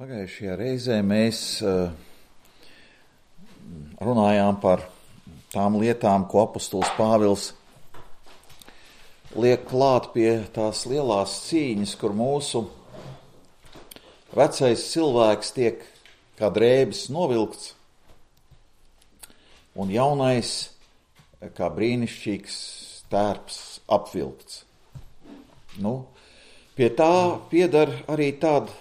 Pagājušajā reizē mēs runājām par tām lietām, ko apostols Pāvils liek klāt pie tās lielās cīņas, kur mūsu vecais cilvēks tiek kā drēbis novilkts un jaunais kā brīnišķīgs tērps apvilkts. Pie tā piedar arī tāda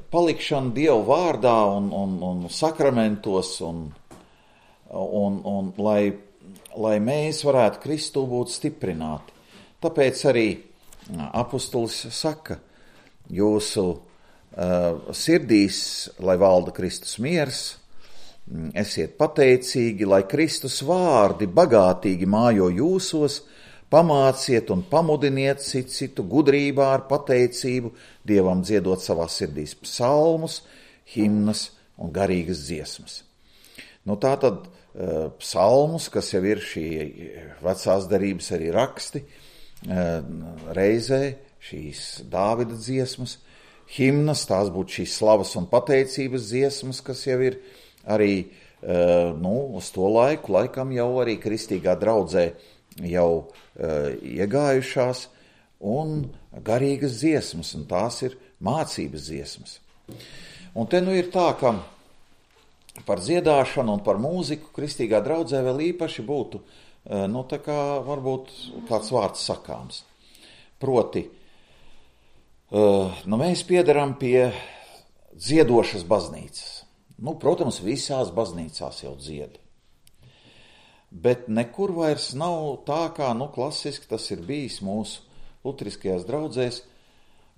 palikšana Dievu vārdā un sakramentos, un lai mēs varētu Kristu būt stiprināti. Tāpēc arī apostols saka, jūsu sirdīs, lai valda Kristus miers, esiet pateicīgi, lai Kristus vārdi bagātīgi mājo jūsos, pamāciet un pamudiniet citu gudrībā ar pateicību, Dievam dziedot savā sirdīs psalmus, himnas un garīgas dziesmas. Tātad psalmus, kas jau ir šī vecās darības arī raksti, reizē šīs Dāvida dziesmas, himnas, tās būtu šīs slavas un pateicības dziesmas, kas jau ir arī uz to laikam jau arī kristīgā draudzē jau iegājušās, un garīgas dziesmas, un tās ir mācības dziesmas. Un te ir tā, ka par dziedāšanu un par mūziku kristīgā draudzē vēl īpaši būtu, tā kā varbūt kāds vārds sakāms. Proti, mēs piedaram pie dziedošas baznīcas. Protams, visās baznīcās jau dzied. Bet nekur vairs nav tā, kā klasiski tas ir bijis mūsu luteriskajās draudzēs.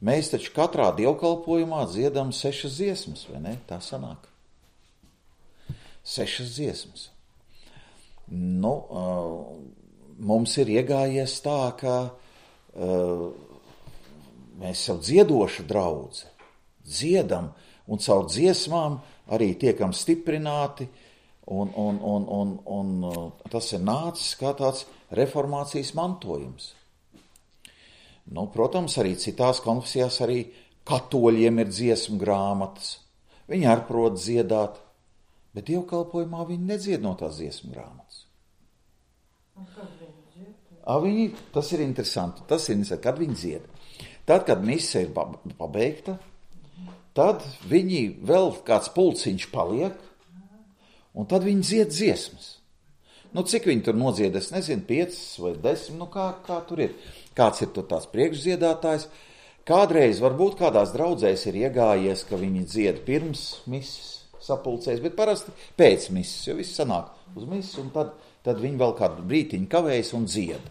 Mēs taču katrā dievkalpojumā dziedam 6 dziesmas, vai ne? Tā sanāk. 6 dziesmas. Mums ir iegājies tā, ka mēs jau dziedoša draudze dziedam, un caur dziesmām arī tiekam stiprināti, un tas ir nācis kā tāds reformācijas mantojums. Protams, arī citās konfesijās arī katoļiem ir dziesmu grāmatas. Viņi arī prot dziedāt, bet dievkalpojumā viņi nedzied no tās dziesmu grāmatas. Tas ir interesanti. Kad viņi dzied. Tad, kad mise ir pabeigta, tad viņi vēl kāds pulciņš paliek, un tad viņi dzied dziesmas. Cik viņi tur nodzied, es nezinu, 5 vai 10, kā tur ir. Kāds ir tur tās priekšdziedātājs. Kādreiz varbūt kādās draudzēs ir iegājies, ka viņi dzied pirms mises sapulcēs, bet parasti pēc mises, jo viss sanāk uz mises, un tad viņi vēl kādu brītiņu kavējas un dzied.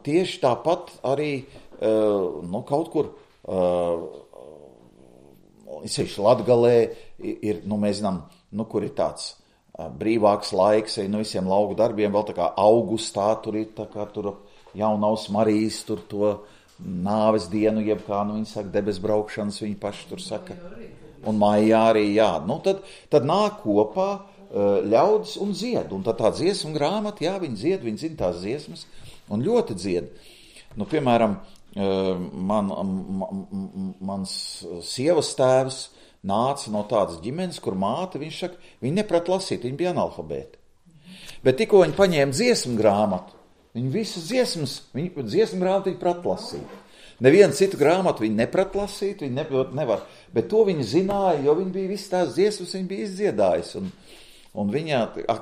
Tieši tāpat arī kaut kur sevišķi Latgalē ir, mēs zinām, kur ir tāds brīvāks laiks, visiem lauku darbiem, vēl tā kā augustā tur ir, tā kā tur Jaunavas Marijas, tur to nāves dienu, jeb kā, viņi saka, debes braukšanas, viņi paši tur saka, un maijā arī, jā. Tad nāk kopā ļaudis un dzied, un tad tā dziesmu grāmata, jā, viņi dzied, viņi zina tās dziesmas, un ļoti dzied. Piemēram, mans sievas tēvs nāca no tādas ģimenes, kur māte, viņš saka, viņi neprat lasīt, viņi bija analfabēti. Bet tikko viņi paņēma dziesmu grāmatu, viņi visas dziesmas, dziesmu grāmatu viņi prat lasīt. Nevienu citu grāmatu viņi neprat lasīt, viņi nevar, bet to viņi zināja, jo viņi bija visas tās dziesmas, viņi bija izdziedājis. Un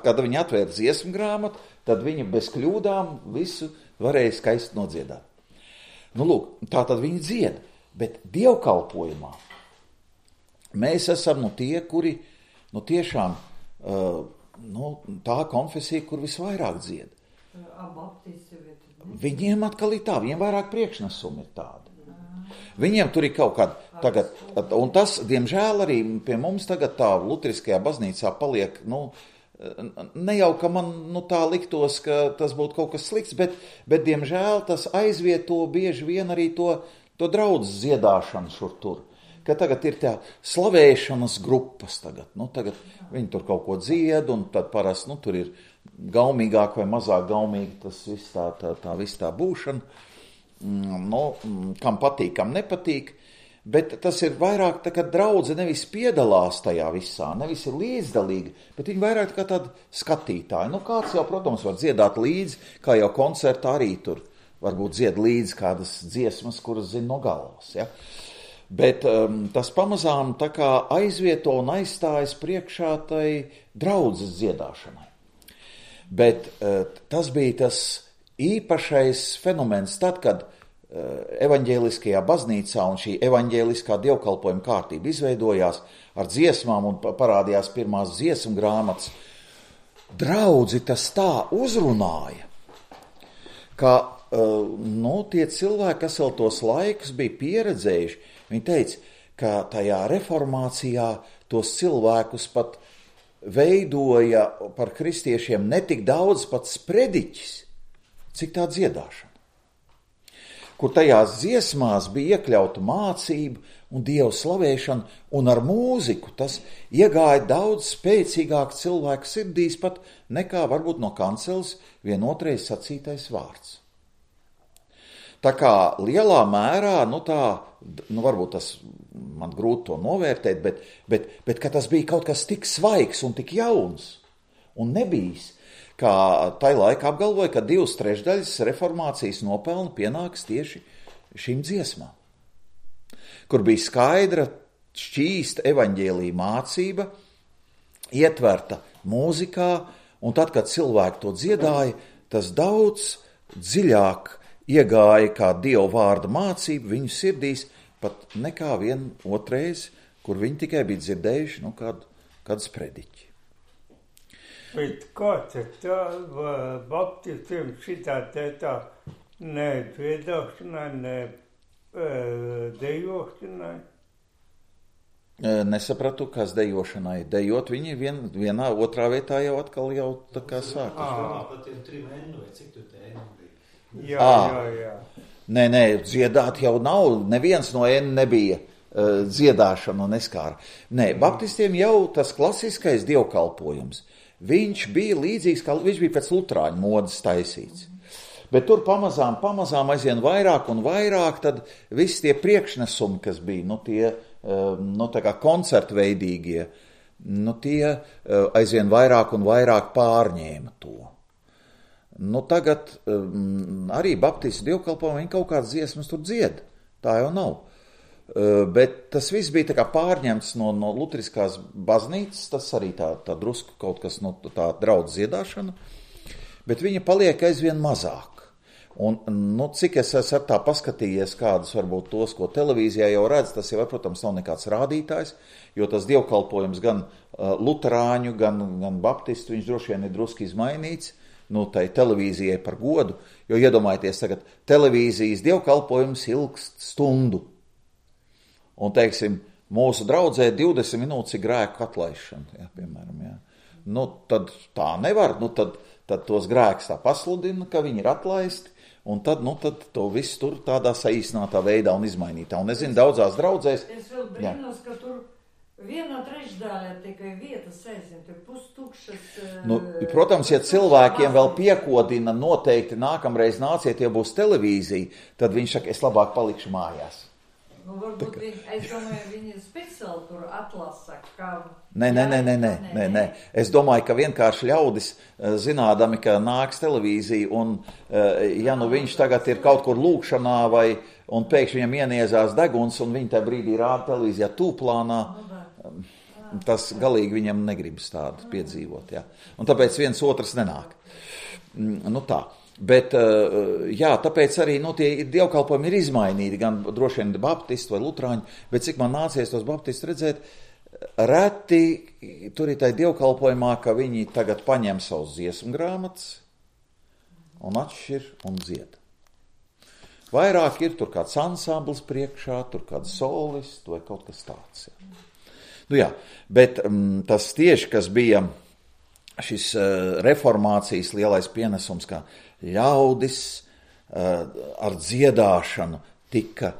kad viņi atvēra dziesmu grāmatu, tad viņi bez kļūdām visu varēja skaisti nodziedāt. Tā tad viņi dzied, bet dievkalpojumā mēs esam tie, kuri tiešām tā konfesija, kur visvairāk dzied. Viņiem atkal ir tā, viņiem vairāk priekšnesumi ir tādi. Viņiem tur ir kaut kāda tagad, un tas, diemžēl, arī pie mums tagad tā luteriskajā baznīcā paliek, ne jau, ka man tā liktos, ka tas būtu kaut kas slikts, bet diemžēl, tas aizvieto bieži vien arī to draudzes dziedāšanu šur tur. Ka tagad ir tā slavēšanas grupas tagad. Tagad viņi tur kaut ko dzied, un tad parasti, tur ir gaumīgāk vai mazāk gaumīgi tas viss tā būšana. Kam patīk, kam nepatīk. bet tas ir vairāk tā, ka draudze nevis piedalās tajā visā, nevis ir līdzdalīga, bet viņi vairāk kā tādi skatītāji. Nu, kāds jau, protams, var dziedāt līdzi, kā jau koncertā arī tur varbūt dzied līdzi kādas dziesmas, kuras zina no galvas, ja. Bet tas pamazām tā kā aizvieto un aizstājas priekšā tai draudzes dziedāšanai. Bet tas bija tas īpašais fenomens tad, kad evaņģēliskajā baznīcā un šī evaņģēliskā dievkalpojuma kārtība izveidojās ar dziesmām un parādījās pirmās dziesmu grāmatas. Draudzi tas tā uzrunāja, ka tie cilvēki, kas vēl tos laikus bija pieredzējuši, viņi teica, ka tajā reformācijā tos cilvēkus pat veidoja par kristiešiem netik daudz pats prediķis, cik tā dziedāšana. Kur tajās dziesmās bija iekļauta mācība un Dievu slavēšana, un ar mūziku tas iegāja daudz spēcīgāk cilvēku sirdīs pat nekā varbūt no kanceles vienotreiz sacītais vārds. Tā kā lielā mērā, varbūt tas man grūti to novērtēt, bet ka tas bija kaut kas tik svaigs un tik jauns un nebijis, kā tai laika apgalvoja, ka 2/3 reformācijas nopelnu pienāks tieši šīm dziesmām, kur bija skaidra, šķīsta evaņģēlija mācība, ietverta mūzikā, un tad, kad cilvēki to dziedāja, tas daudz dziļāk iegāja kā Dieva vārda mācība viņu sirdīs, pat nekā vienotreiz, kur viņi tikai bija dzirdējuši kādu sprediķi. Bet kāds ir tā baptistiem šitā tā ne dziedāšanai, ne dejošanai? Nesapratu, kas dejošanai. Dejot viņi vienā otrā vietā jau atkal jau tā kā sākas. Pat ir 3 ēnu, vai cik tu te ēnu bija? Jā. Nē, dziedāt jau nav, neviens no ēnu nebija dziedāšana un neskāra. Nē, baptistiem jau tas klasiskais dievkalpojums, viņš bija līdzīgs, kā viņš bija pēc lutrāņu modes taisīts. Bet tur pamazām aizvien vairāk un vairāk, tad visi tie priekšnesumi, kas bija, tā kā koncertveidīgie, tie aizvien vairāk un vairāk pārņēma to. Tagad arī baptistu dievkalpojumi, viņi kaut kādas dziesmas tur dzied, tā jau nav. Bet tas viss bija tā kā pārņemts no luteriskās baznīcas, tas arī tā drusku kaut kas no tā draudz dziedāšana, bet viņa paliek aizvien mazāk. Un, cik es esmu tā paskatījies kādus varbūt tos, ko televīzijā jau redz, tas jau, protams, nav nekāds rādītājs, jo tas dievkalpojums gan luterāņu, gan baptistu, viņš droši vien ir druski izmainīts, tai televīzijai par godu, jo iedomājieties tagad, televīzijas dievkalpojums ilgst stundu. Un, teiksim, mūsu draudzē 20 minūtes ir grēku atlaišana, piemēram, jā. Tad tā nevar, tad tos grēkus tā pasludina, ka viņi ir atlaisti, un tad to visu tur tādā saīsinātā veidā un izmainītā. Un es zinu, daudzās draudzēs... Es vēl brīnos, ka tur 1/3 tikai vietas aizvien, tur pustukšas... Protams, ja cilvēkiem vēl piekodina noteikti nākamreiz nāciet, ja būs televīzija, tad viņš saka, es labāk palikšu mājās. Varbūt es domāju, viņi speciāli tur atlasa, kā... Nē. Es domāju, ka vienkārši ļaudis, zinādami, ka nāks televīzija, un ja viņš tagad ir kaut kur lūkšanā, un pēkšņi viņam ieniezās deguns, un viņi tajā brīdī rāda televīzijā tūplānā, tas galīgi viņam negribas tādu piedzīvot. Jā. Un tāpēc viens otrs nenāk. Tā. Bet, tāpēc arī tie dievkalpojumi ir izmainīti, gan droši vien baptisti vai lutrāņi, bet cik man nācies tos baptistus redzēt, reti tur ir tai dievkalpojumā, ka viņi tagad paņem savus dziesmu grāmatas un atšķir un dzied. Vairāk ir tur kāds ansamblis priekšā, tur kāds solists vai kaut kas tāds. Jā. Bet tas tieši, kas bija šis reformācijas lielais pienesums, kā ļaudis ar dziedāšanu tika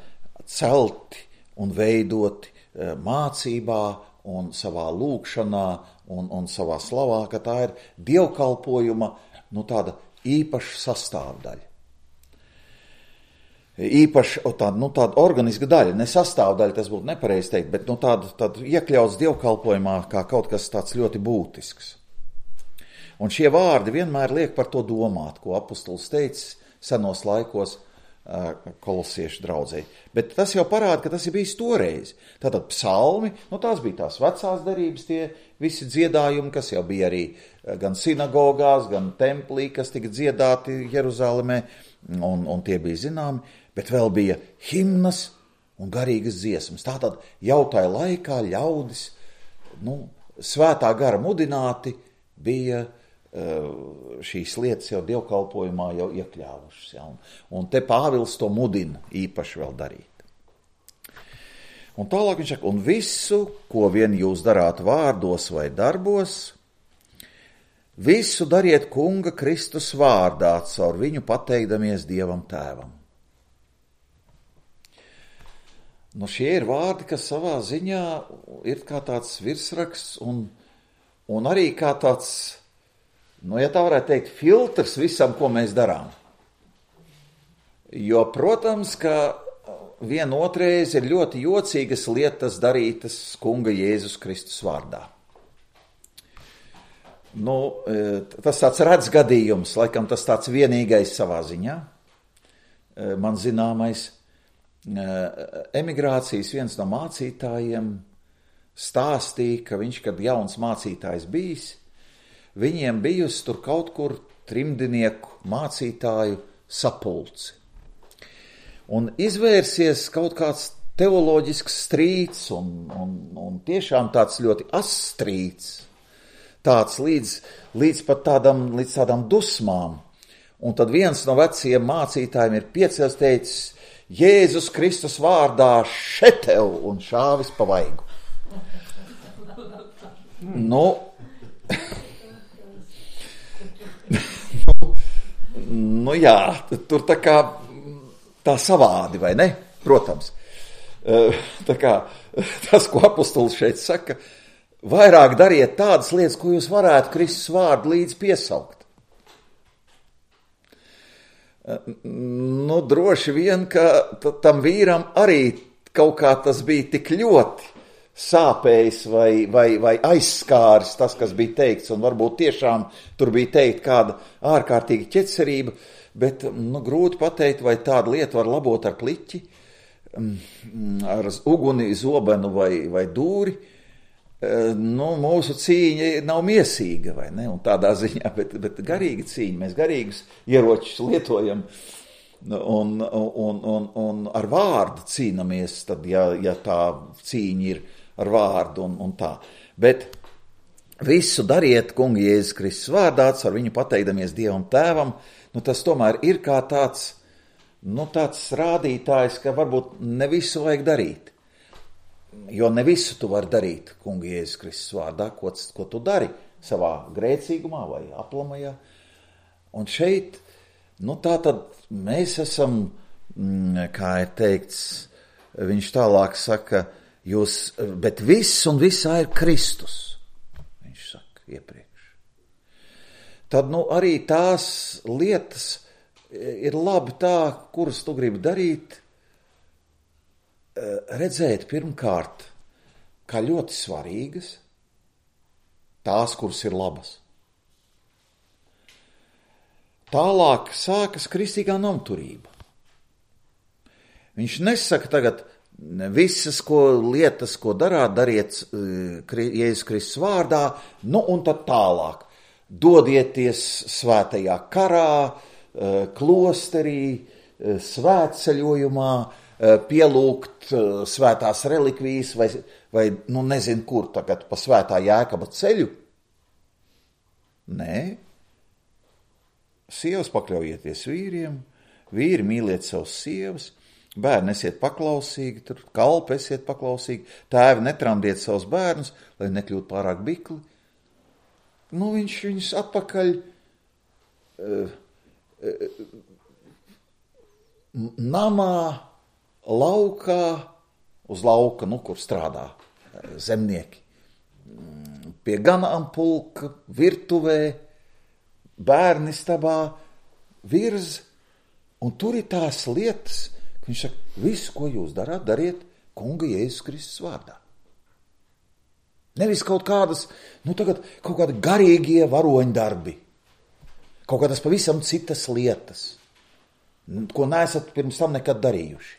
celti un veidoti mācībā un savā lūkšanā un savā slavā, ka tā ir dievkalpojuma tāda īpaša sastāvdaļa. īpaši tāda organiska daļa, ne sastāvdaļa, tas būtu nepareizi teikt, bet tāda iekļauts dievkalpojumā kā kaut kas tāds ļoti būtisks. Un šie vārdi vienmēr liek par to domāt, ko apustulis teica senos laikos kolosiešu draudzē. Bet tas jau parāda, ka tas ir bijis toreiz. Tātad psalmi, tās bija tās vecās darības, tie visi dziedājumi, kas jau bija arī gan sinagogās, gan templī, kas tika dziedāti Jeruzalemē, un tie bija zināmi, bet vēl bija himnas un garīgas dziesmas. Tātad jau tajā laikā ļaudis, svētā gara mudināti bija šīs lietas jau dievkalpojumā jau iekļāvušas. Ja? Un te Pāvils to mudina īpaši vēl darīt. Un tālāk viņš saka, un visu, ko vien jūs darāt vārdos vai darbos, visu dariet kunga Kristus vārdā, caur viņu pateikdamies Dievam Tēvam. Šie ir vārdi, kas savā ziņā ir kā tāds virsraksts un arī kā tāds, ja tā varētu teikt, filtrs visam, ko mēs darām. Jo, protams, ka vienotreiz ir ļoti jocīgas lietas darītas kunga Jēzus Kristus vārdā. Tas tāds redz gadījums, laikam tas tāds vienīgais savā ziņā. Man zināmais, emigrācijas viens no mācītājiem stāstīja, ka viņš, kad jauns mācītājs bijis, viņiem bijusi tur kaut kur trimdinieku mācītāju sapulci. Un izvērsies kaut kāds teoloģisks strīds un tiešām tāds ļoti asstrīds, tāds līdz pat tādām dusmām. Un tad viens no veciem mācītājiem ir piecēlis teicis, Jēzus Kristus vārdā šetev un šāvis pa vaigu. Jā, tur tā savādi, vai ne? Protams. Tas, ko apustulis šeit saka, vairāk dariet tādas lietas, ko jūs varētu Kristus vārdu līdz piesaukt. Droši vien, ka tam vīram arī kaut kā tas bija tik ļoti sāpējis vai aizskāris tas, kas bija teikts, un varbūt tiešām tur bija teikt kāda ārkārtīga ķecerība, bet grūti pateikt, vai tāda lieta var labot ar pliķi, ar uguni, zobenu vai dūri. Mūsu cīņa nav miesīga, vai ne? Un tādā ziņā, bet garīga cīņa, mēs garīgus ieročus lietojam, un ar vārdu cīnamies, tad, ja tā cīņa ir ar vārdu un tā. Bet visu dariet kunga Jēzus Kristus vārdā, ar viņu pateikdamies Dievam Tēvam, tas tomēr ir kā tāds rādītājs, ka varbūt ne visu vajag darīt. Jo ne visu tu vari darīt kunga Jēzus Kristus vārdā, ko tu dari savā grēcīgumā vai aplamajā. Un šeit, tā tad mēs esam, kā ir teikts, viņš tālāk saka, bet viss un visā ir Kristus, viņš saka iepriekš. Tad arī tās lietas ir labi tā, kuras tu gribi darīt, redzēt pirmkārt, kā ļoti svarīgas, tās, kuras ir labas. Tālāk sākas kristīgā namturība. Viņš nesaka tagad, visas lietas, ko dariet Jēzus Kristus vārdā, un tad tālāk. Dodieties svētajā karā, klosterī, svētceļojumā, pielūgt svētās relikvijas vai nezinu kur tagad pa svētā Jēkaba ceļu. Nē. Sievas pakļaujieties vīriem, vīri mīliet savus sievas, bērni esiet paklausīgi, kalpi esiet paklausīgi, tēvi netramdiet savus bērnus, lai nekļūtu pārāk bikli. Viņš viņus atpakaļ namā, laukā, uz lauka, kur strādā zemnieki, pie ganāmpulka, virtuvē, bērnistabā, virz, un tur ir tās lietas, Viņš saka, visu, ko jūs darāt, dariet Kunga Jēzus Kristus vārdā. Nevis kaut kādas, tagad kaut kādi garīgie varoņdarbi, kaut kādas pavisam citas lietas, ko neesat pirms tam nekad darījuši.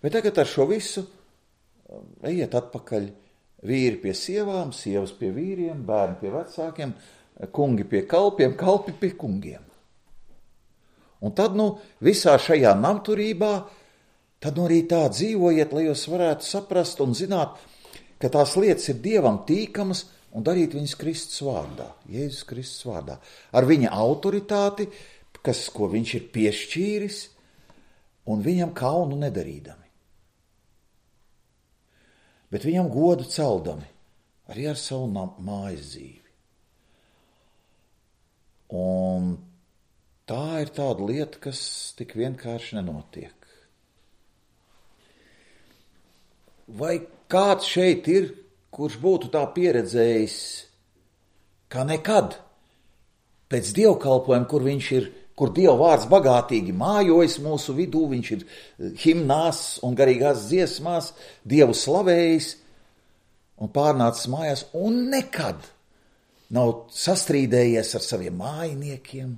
Bet tagad ar šo visu ejiet atpakaļ, vīri pie sievām, sievas pie vīriem, bērni pie vecākiem, kungi pie kalpiem, kalpi pie kungiem. Un tad, visā šajā namturībā, tad arī tā dzīvojiet, lai jūs varētu saprast un zināt, ka tās lietas ir Dievam tīkamas un darīt viņas Kristus vārdā, Jēzus Kristus vārdā, ar viņa autoritāti, ko viņš ir piešķīris, un viņam kaunu nedarīdami. Bet viņam godu celdami, arī ar savu mājas dzīvi. Un tā ir tāda lieta, kas tik vienkārši nenotiek. Vai kāds šeit ir, kurš būtu tā pieredzējis, kā nekad pēc dievkalpojuma, kur Dieva vārds bagātīgi mājojas mūsu vidū, viņš ir himnās un garīgās dziesmās, Dievu slavējis un pārnācis mājās, un nekad nav sastrīdējies ar saviem mājiniekiem,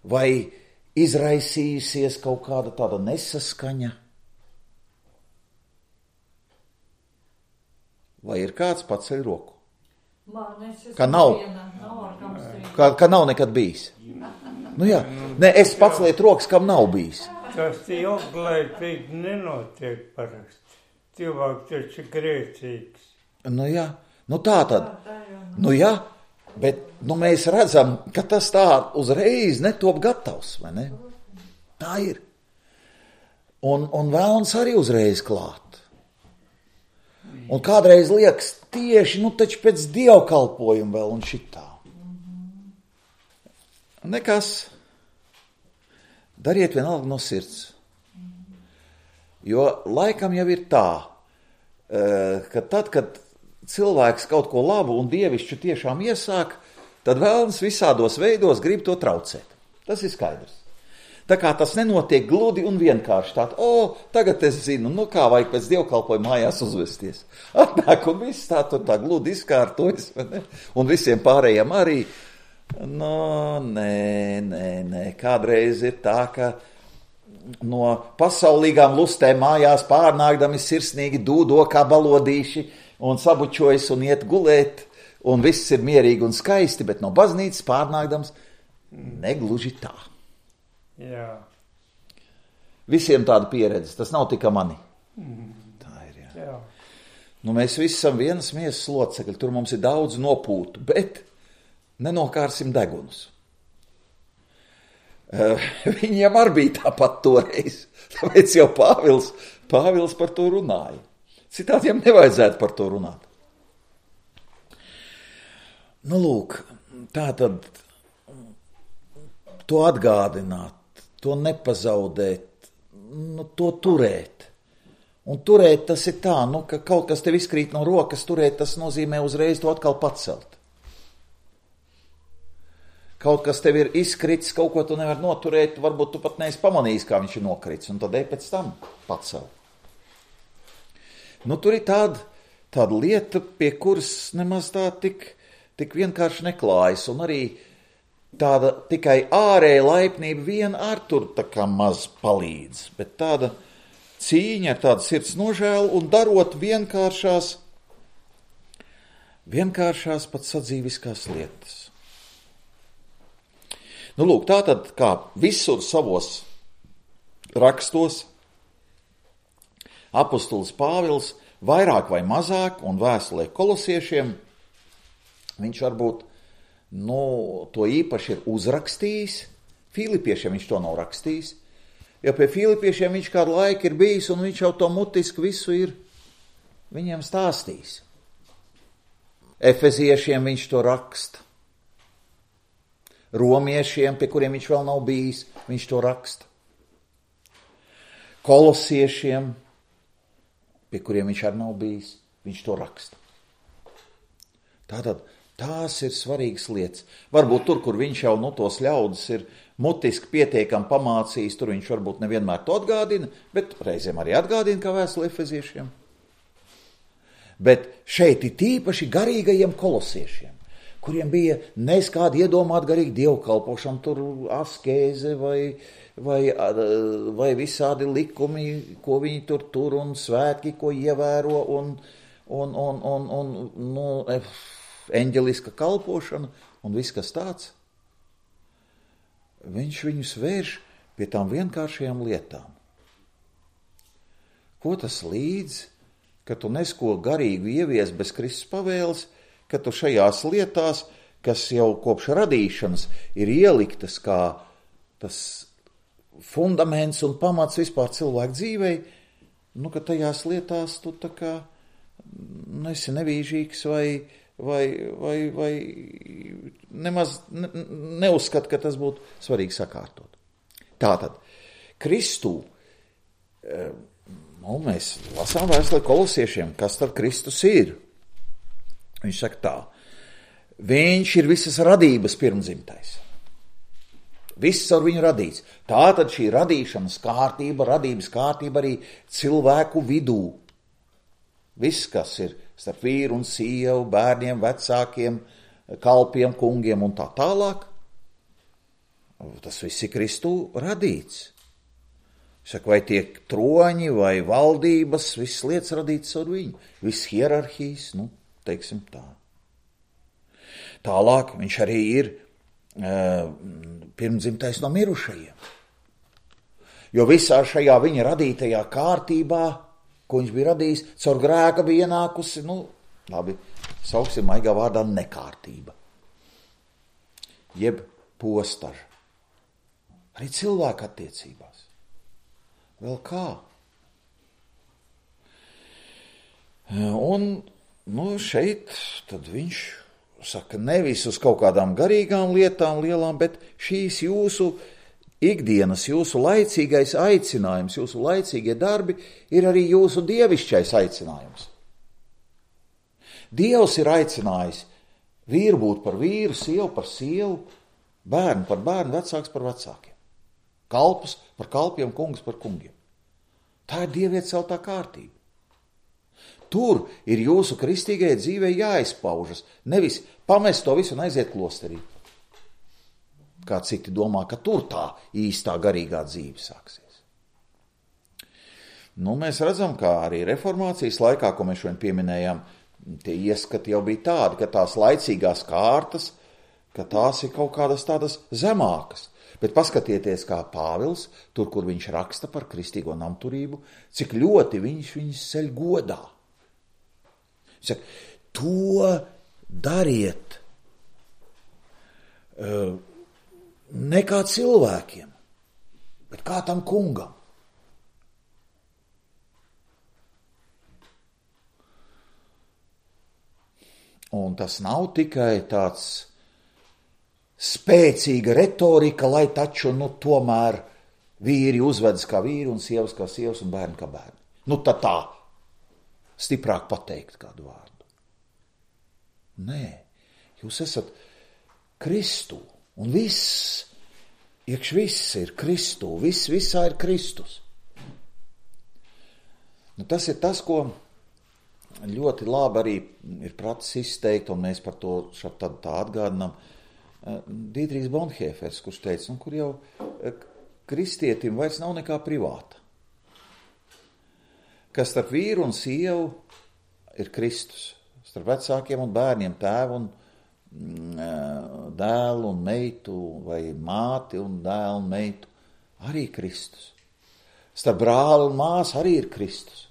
vai izraisījusies kaut kāda tāda nesaskaņa, vai ir kāds paceļ roku? Ka nav nekad bijis. Jā, es paceliet rokas, kam nav bijis. Tas ilglaicīgi nenotiek parasti. Cilvēks taču ir grēcīgs. Jā, tā tad. Jā, bet mēs redzam, ka tas tā uzreiz netop gatavs, vai ne? Tā ir. Un vēlns arī uzreiz klāt. Un kādreiz liekas tieši, taču pēc dievkalpojuma vēl un šitā. Nekas. Dariet vienalga no sirds. Jo laikam jau ir tā, ka tad, kad cilvēks kaut ko labu un dievišķu tiešām iesāk, tad vēlns visādos veidos grib to traucēt. Tas ir skaidrs. Tā kā tas nenotiek gludi un vienkārši tagad es zinu, kā vajag pēc dievkalpojuma mājās uzvesties. Atnāk un viss tā gludi izkārtojas, vai ne? Un visiem pārējiem arī. Nē. Kādreiz ir tā, ka no pasaulīgām lustēm mājās pārnākdami sirsnīgi dūdo kā balodīši un sabučojas un iet gulēt, un viss ir mierīgi un skaisti, bet no baznīcas pārnākdams negluži tā. Jā. Visiem tāda pieredze, tas nav tikai mani. Tā ir, jā. Mēs visi esam vienas miesas locekļi, tur mums ir daudz nopūtu, bet nenokārsim degunus. Viņiem arī bija tāpat toreiz, tāpēc jau Pāvils par to runāja. Citādiem nevajadzētu par to runāt. Lūk, tā tad to atgādināt, to nepazaudēt, to turēt. Un turēt tas ir tā, ka kaut kas tev izkrīt no rokas, turēt tas nozīmē uzreiz to atkal pacelt. Kaut kas tev ir izkrits, kaut ko tu nevar noturēt, varbūt tu pat neesi pamanījis, kā viņš ir nokrits, un tad pēc tam pacelt. Tur ir tāda lieta, pie kuras nemaz tā tik vienkārši neklājas, un arī tāda tikai ārēja laipnība viena ar tur tā kā maz palīdz, bet tāda cīņa ar tādu sirds nožēlu un darot vienkāršās pat sadzīviskās lietas. Lūk, tātad kā visur savos rakstos apostols Pāvils vairāk vai mazāk un vēstulē kolosiešiem viņš varbūt to īpaši ir uzrakstījis. Filipiešiem viņš to nav rakstījis, jo pie Filipiešiem viņš kādu laiku ir bijis un viņš jau to mutiski visu ir viņiem stāstījis. Efeziešiem viņš to raksta. Romiešiem, pie kuriem viņš vēl nav bijis, viņš to raksta. Kolosiešiem, pie kuriem viņš arī nav bijis, viņš to raksta. Tātad Tās ir svarīgas lietas. Varbūt tur, kur viņš jau tos ļaudis ir mutiski pietiekami pamācījis, tur viņš varbūt nevienmēr to atgādina, bet reizēm arī atgādina, kā vēstule Efeziešiem. Bet šeit ir tīpaši garīgajiem kolosiešiem, kuriem bija neskādi iedomāt garīgi dievkalpošanu, tur askēze vai visādi likumi, ko viņi tur un svētki, ko ievēro un eņģeliska kalpošana un viss, kas tāds. Viņš viņus vērš pie tām vienkāršajām lietām. Ko tas līdz, ka tu nesko garīgu ievies bez Kristus pavēles, ka tu šajās lietās, kas jau kopš radīšanas ir ieliktas kā tas fundaments un pamats vispār cilvēku dzīvei, ka tajās lietās tu tā kā esi nevīžīgs vai nemaz neuzskat, ka tas būtu svarīgi sakārtot. Tātad, Kristū, mēs lasām vēstuli kolosiešiem, kas tad Kristus ir. Viņš saka tā, viņš ir visas radības pirmdzimtais. Viss ar viņu radīts. Tātad šī radīšanas kārtība, radības kārtība arī cilvēku vidū. Viss, kas ir starp vīru un sievu, bērniem, vecākiem, kalpiem, kungiem un tā tālāk, tas viss ir Kristū radīts. Saka, vai tiek troņi vai valdības, viss lietas radītas ar viņu, viss hierarhijas, teiksim tā. Tālāk viņš arī ir pirmdzimtais no mirušajiem. Jo visā šajā viņa radītajā kārtībā, ko viņš bija radījis, caur grēka bija ienākusi, sauksim maigā vārdā nekārtība. Jeb postaža. Arī cilvēka attiecībās. Vēl kā? Un, šeit tad viņš saka, nevis uz kaut kādām garīgām lietām lielām, bet šīs jūsu ikdienas, jūsu laicīgais aicinājums, jūsu laicīgie darbi ir arī jūsu dievišķais aicinājums. Dievs ir aicinājis vīru būt par vīru, sievu par sievu, bērnu par bērnu, vecāks par vecākiem. Kalpus par kalpiem, kungus par kungiem. Tā ir dieviet celtā kārtība. Tur ir jūsu kristīgajai dzīvei jāizpaužas, nevis pamest to visu un aiziet klosterī. Kā citi domā, ka tur tā īstā garīgā dzīve sāksies. Mēs redzam, kā arī reformācijas laikā, ko mēs šodien pieminējām, tie ieskati jau bija tādi, ka tās laicīgās kārtas, ka tās ir kaut kādas tādas zemākas. Bet paskatieties, kā Pāvils, tur, kur viņš raksta par kristīgo namturību, cik ļoti viņš viņus ceļ godā. Viņš saka, to dariet ne kā cilvēkiem, bet kā tam kungam. Un tas nav tikai tāds spēcīga retorika, lai taču, tomēr vīri uzvedas kā vīri un sievas kā sievas un bērni kā bērni. Tad tā stiprāk pateikt kādu vārdu. Nē, jūs esat Kristū un viss ir Kristū, visā ir Kristus. Tas ir tas, ko ļoti labi arī ir pratis izteikt, un mēs par to tā atgādinām. Dietrihs Bonhoeffers, kurš teica, kur jau kristietim vairs nav nekā privāta. Kas starp vīru un sievu ir Kristus. Starp vecākiem un bērniem, tēvu un dēlu un meitu, vai māti un dēlu un meitu, arī Kristus. Starp brāli un māsu arī ir Kristus.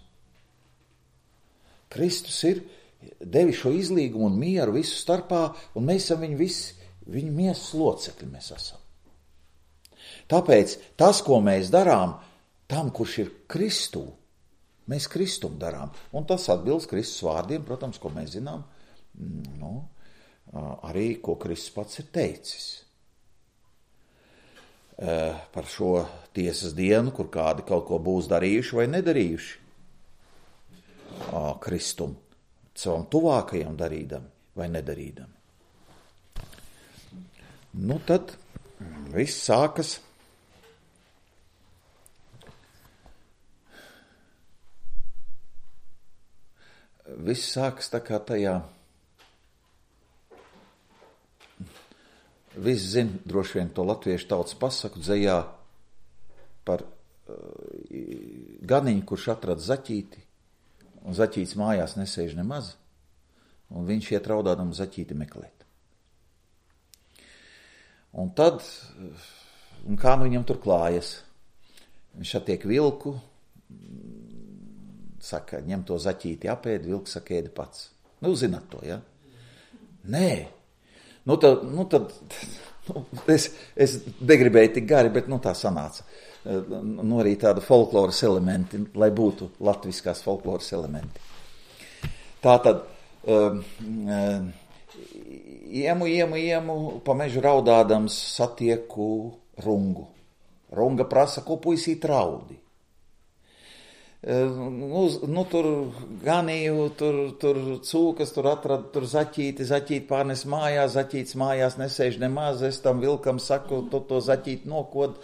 Kristus ir devis šo izlīgumu un mieru visu starpā, un mēs esam viņa miesas locekļi mēs esam. Tāpēc tas, ko mēs darām, tam, kurš ir Kristū, mēs Kristum darām. Un tas atbilst Kristus vārdiem, protams, ko mēs zinām, arī, ko Kristus pats ir teicis. Par šo tiesas dienu, kur kādi kaut ko būs darījuši vai nedarījuši. Kristum, savam tuvākajam darīdami vai nedarīdami. Nu tad viss sākas. Viss sākas tā kā tajā. Viss zina droši vien to latviešu tautas pasaku dzejā par ganiņu, kurš atrada zaķīti, un zaķītis mājās nesēž nemaz, un viņš iet raudādam zaķīti meklēt. Un tad, kā nu viņam tur klājas, viņš attiek vilku, saka, ņem to zaķīti apēd, vilks saka, ēdi pats. Nu, zināt to, ja? Nē. Nu tad es negribēju tik gari, bet tā sanāca. Nu, arī tāda folkloras elementi, lai būtu latviskās folkloras elementi. Tātad, iemu, pa mežu raudādams satieku rungu. Runga prasa, ko puisīt raudi. Tur ganīju, tur cūkas, tur atrada, tur zaķīti pārnes mājās, zaķītis mājās nesēž nemaz, es tam vilkam saku, tu to zaķīti nokod,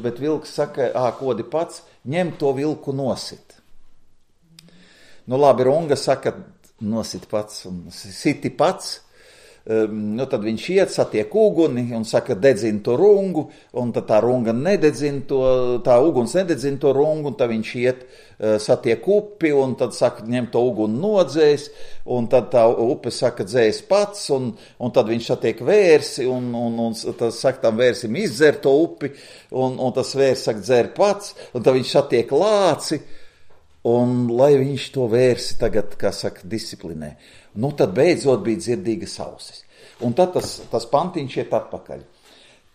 bet vilks saka, kodi pats, ņem to vilku nosit. Nu labi, runga saka, nosit pats un siti pats. Tad viņš iet, satiek uguni un saka, dedzina to rungu, un tad tā runga nededzina to, tā uguns nededzina to rungu, un tad viņš iet, satiek upi, un tad saka, ņem to uguni nodzēs, un tad tā upe saka, dzēs pats, un tad viņš satiek vērsi, un tad saka, tam vērsim izdzer to upi, un tas vērs saka, dzer pats, un tad viņš satiek lāci, un lai viņš to vērsi tagad, kā saka, disciplinē. Nu, tad beidzot bija dzirdīgas ausis. Un tad tas pantiņš iet atpakaļ.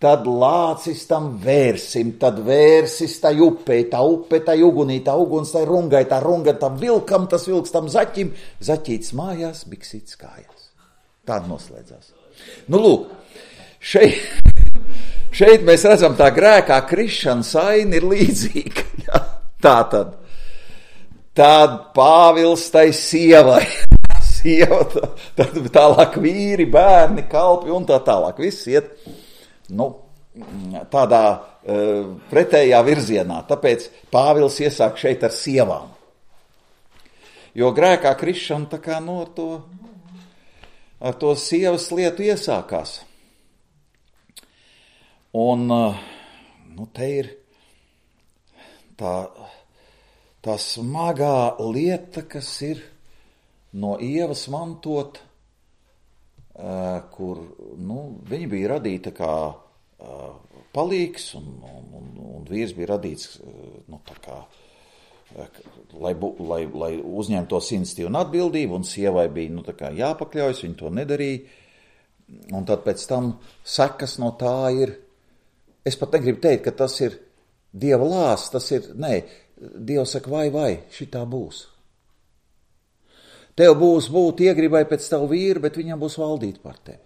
Tad lācis tam vērsim, tad vērsis tai upei, tā upe tai ugunī, tā uguns tai rungai, tā runga tam vilkam, tas vilks tam zaķim, zaķīts mājās, biksīts kājās. Tāda noslēdzās. Nu, lūk, šeit mēs redzam tā grēkā krišana saina ir līdzīga. Ja? Tātad Pāvils tai sievai. Sieva, tad tālāk vīri, bērni, kalpi un tā tālāk. Viss iet tādā pretējā virzienā. Tāpēc Pāvils iesāk šeit ar sievām. Jo grēkā krišana tā kā ar to sievas lietu iesākās. Un te ir tā smagā lieta, kas ir no Ievas mantot, kur viņa bija radīta kā palīgs, un vīrs bija radīts tā kā, lai uzņemtos iniciatīvu un atbildību, un sievai bija tā kā jāpakļaujas, viņa to nedarīja, un tad pēc tam sekas no tā ir, es pat negribu teikt, ka tas ir Dieva lāsts, tas ir, Dievs saka, vai, šitā būs. Tev būs būt iegribai pēc tavu vīru, bet viņam būs valdīt par tevi.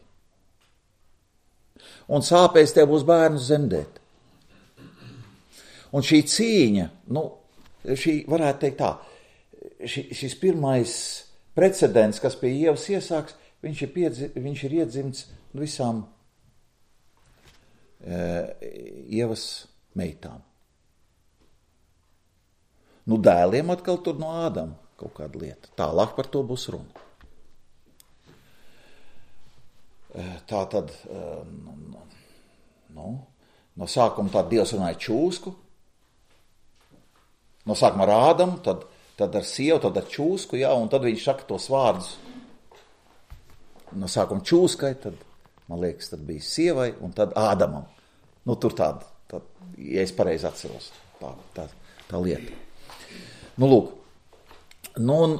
Un sāpēs tev būs bērnus zemdēt. Un šī cīņa, šī varētu teikt tā, šis pirmais precedents, kas pie Ievas iesāks, viņš ir iedzimts visām Ievas meitām. Dēliem atkal tur no Ādama kaut kāda lieta. Tālāk par to būs runa. Tā tad, no sākuma tā Dievs runāja čūsku, no sākuma ar Ādamu, tad ar sievu, tad ar čūsku, un tad viņš saka tos vārdus. No sākuma čūskai, tad, man liekas, tad bija sievai, un tad Ādamam. Tur tāda, ja es pareizi atceros, tā lieta. Lūk, un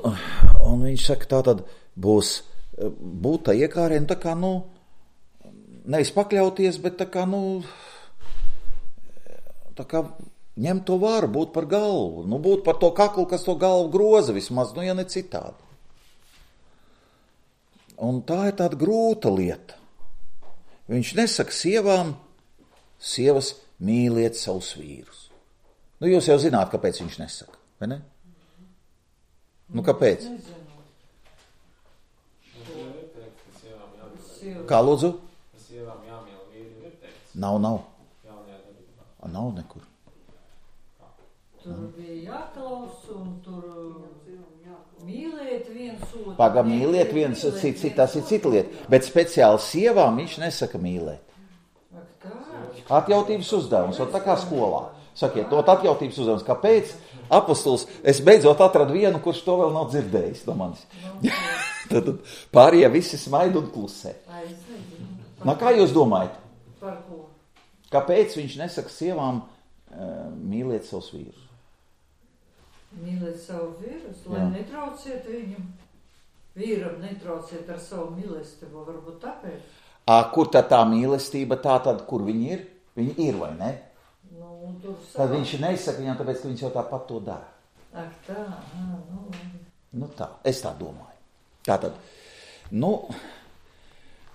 viņš saka, tā tad būs būt tā iekārēm, tā kā, nevis pakļauties, bet tā kā, tā kā ņemt to varu, būt par galvu, būt par to kaklu, kas to galvu groza vismaz, ja ne citādi. Un tā ir tāda grūta lieta. Viņš nesaka sievām, sievas mīliet savus vīrus. Jūs jau zināt, kāpēc viņš nesaka. Vai ne? Kāpēc? Kā lūdzu? Sievām jāmīl vīri Nav. Jaunajā darbībā. Nav nekur. Tur bija jāklaus un tur mīlēt viens otru. Paga mīliet viens, tas ir cita lieta. Bet speciāli sievām viņš nesaka mīlēt. Ak, tā. Atjautības uzdevums, un tā kā skolā. Sakiet, to atjautības uzdevums. Kāpēc? Apostols, es beidzot atradu vienu, kurš to vēl nav dzirdējis no manis. Tad pārējie visi smaida un klusē. Kā jūs domājat? Par ko? Kāpēc viņš nesaka sievām mīliet savus vīrus? Mīlēt savu vīrus, lai netrauciet viņam. Vīram netrauciet ar savu mīlestību, varbūt tāpēc. Kur tad tā mīlestība, tā tad, kur viņi ir? Viņi ir, vai ne? Tad viņš nesaka viņam, tāpēc, ka viņš jau tāpat to dara. Ak, tā, Tā, es tā domāju. Tātad,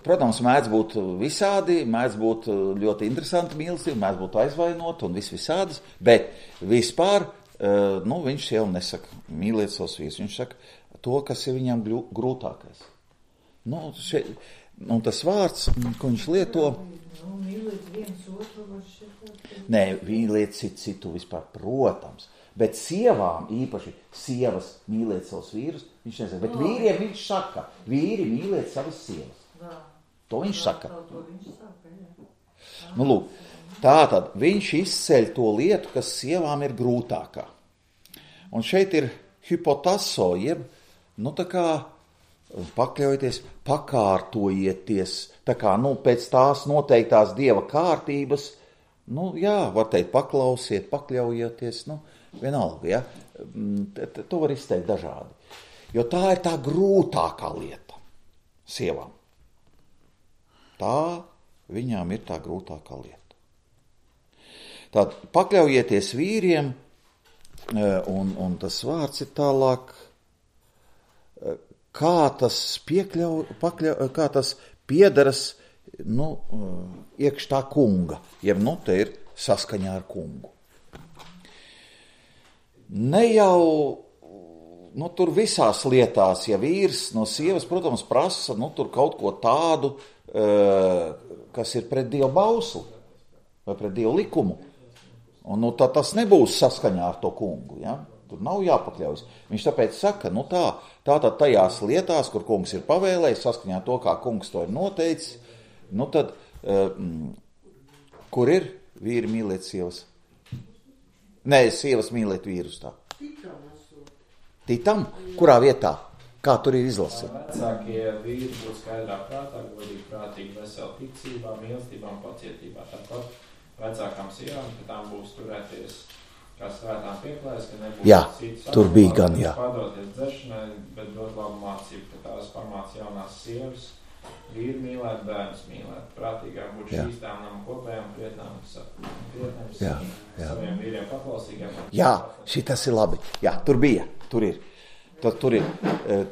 protams, mēdz būt visādi, mēdz būt ļoti interesanti mīlestība, mēdz būt aizvainot un visādas, bet vispār, viņš jau nesaka mīliet savus vīrus, viņš saka to, kas ir viņam grūtākais. Tas vārds, ko viņš lieto, mīlēt viens otru var šeit. Nē, mīliet citu vispār, protams, bet sievām, īpaši sievas mīliet savus vīrus, viņš nesaka, bet vīriem viņš saka, vīri mīliet savas sievas. To viņš saka. Lūk, tātad viņš izceļ to lietu, kas sievām ir grūtākā. Un šeit ir hypotaso, jeb, pakļaujieties, pakārtojieties, pēc tās noteiktās Dieva kārtības, var teikt, paklausiet, pakļaujieties, vienalga, ja? To var izteikt dažādi. Jo tā ir tā grūtākā lieta sievām. Tā viņām ir tā grūtākā lieta. Tātad pakļaujieties vīriem, un tas vārds ir tālāk, kā tas piedaras iekš tā kunga, jeb te ir saskaņā ar kungu. Ne jau tur visās lietās, ja vīrs no sievas, protams, prasa tur kaut ko tādu, kas ir pret Dieva bausli vai pret Dieva likumu. Un tad tas nebūs saskaņā ar to kungu, ja? Tur nav jāpakļaujas. Viņš tāpēc saka, tātad tajās lietās, kur kungs ir pavēlējis, saskaņā to, kā kungs to ir noteicis, tad, kur ir vīri mīlēt sievas? Nē, sievas mīlēt vīrus tā. Titam? Kurā vietā? Kā tur ir izlasīts? Vecākie vīri būs skaidrā prātā, godīgi, prātīgi, veseli ticībā, mīlestībā un pacietībā. Tāpat vecākām sievām, ka tām būs turēties kā svētām pieklājas, ka nebūs citas tur bija gan, padoties dzeršanai, bet dot labu mācību, ka tās pamāca jaunās sievas, vīri mīlēt, bērnus mīlēt, prātīgām būt šīstām nama kopējām, prietnām, saviem vīriem paklausīgiem. Jā, šitas ir labi. Jā, tur bija, tur ir. Tur ir.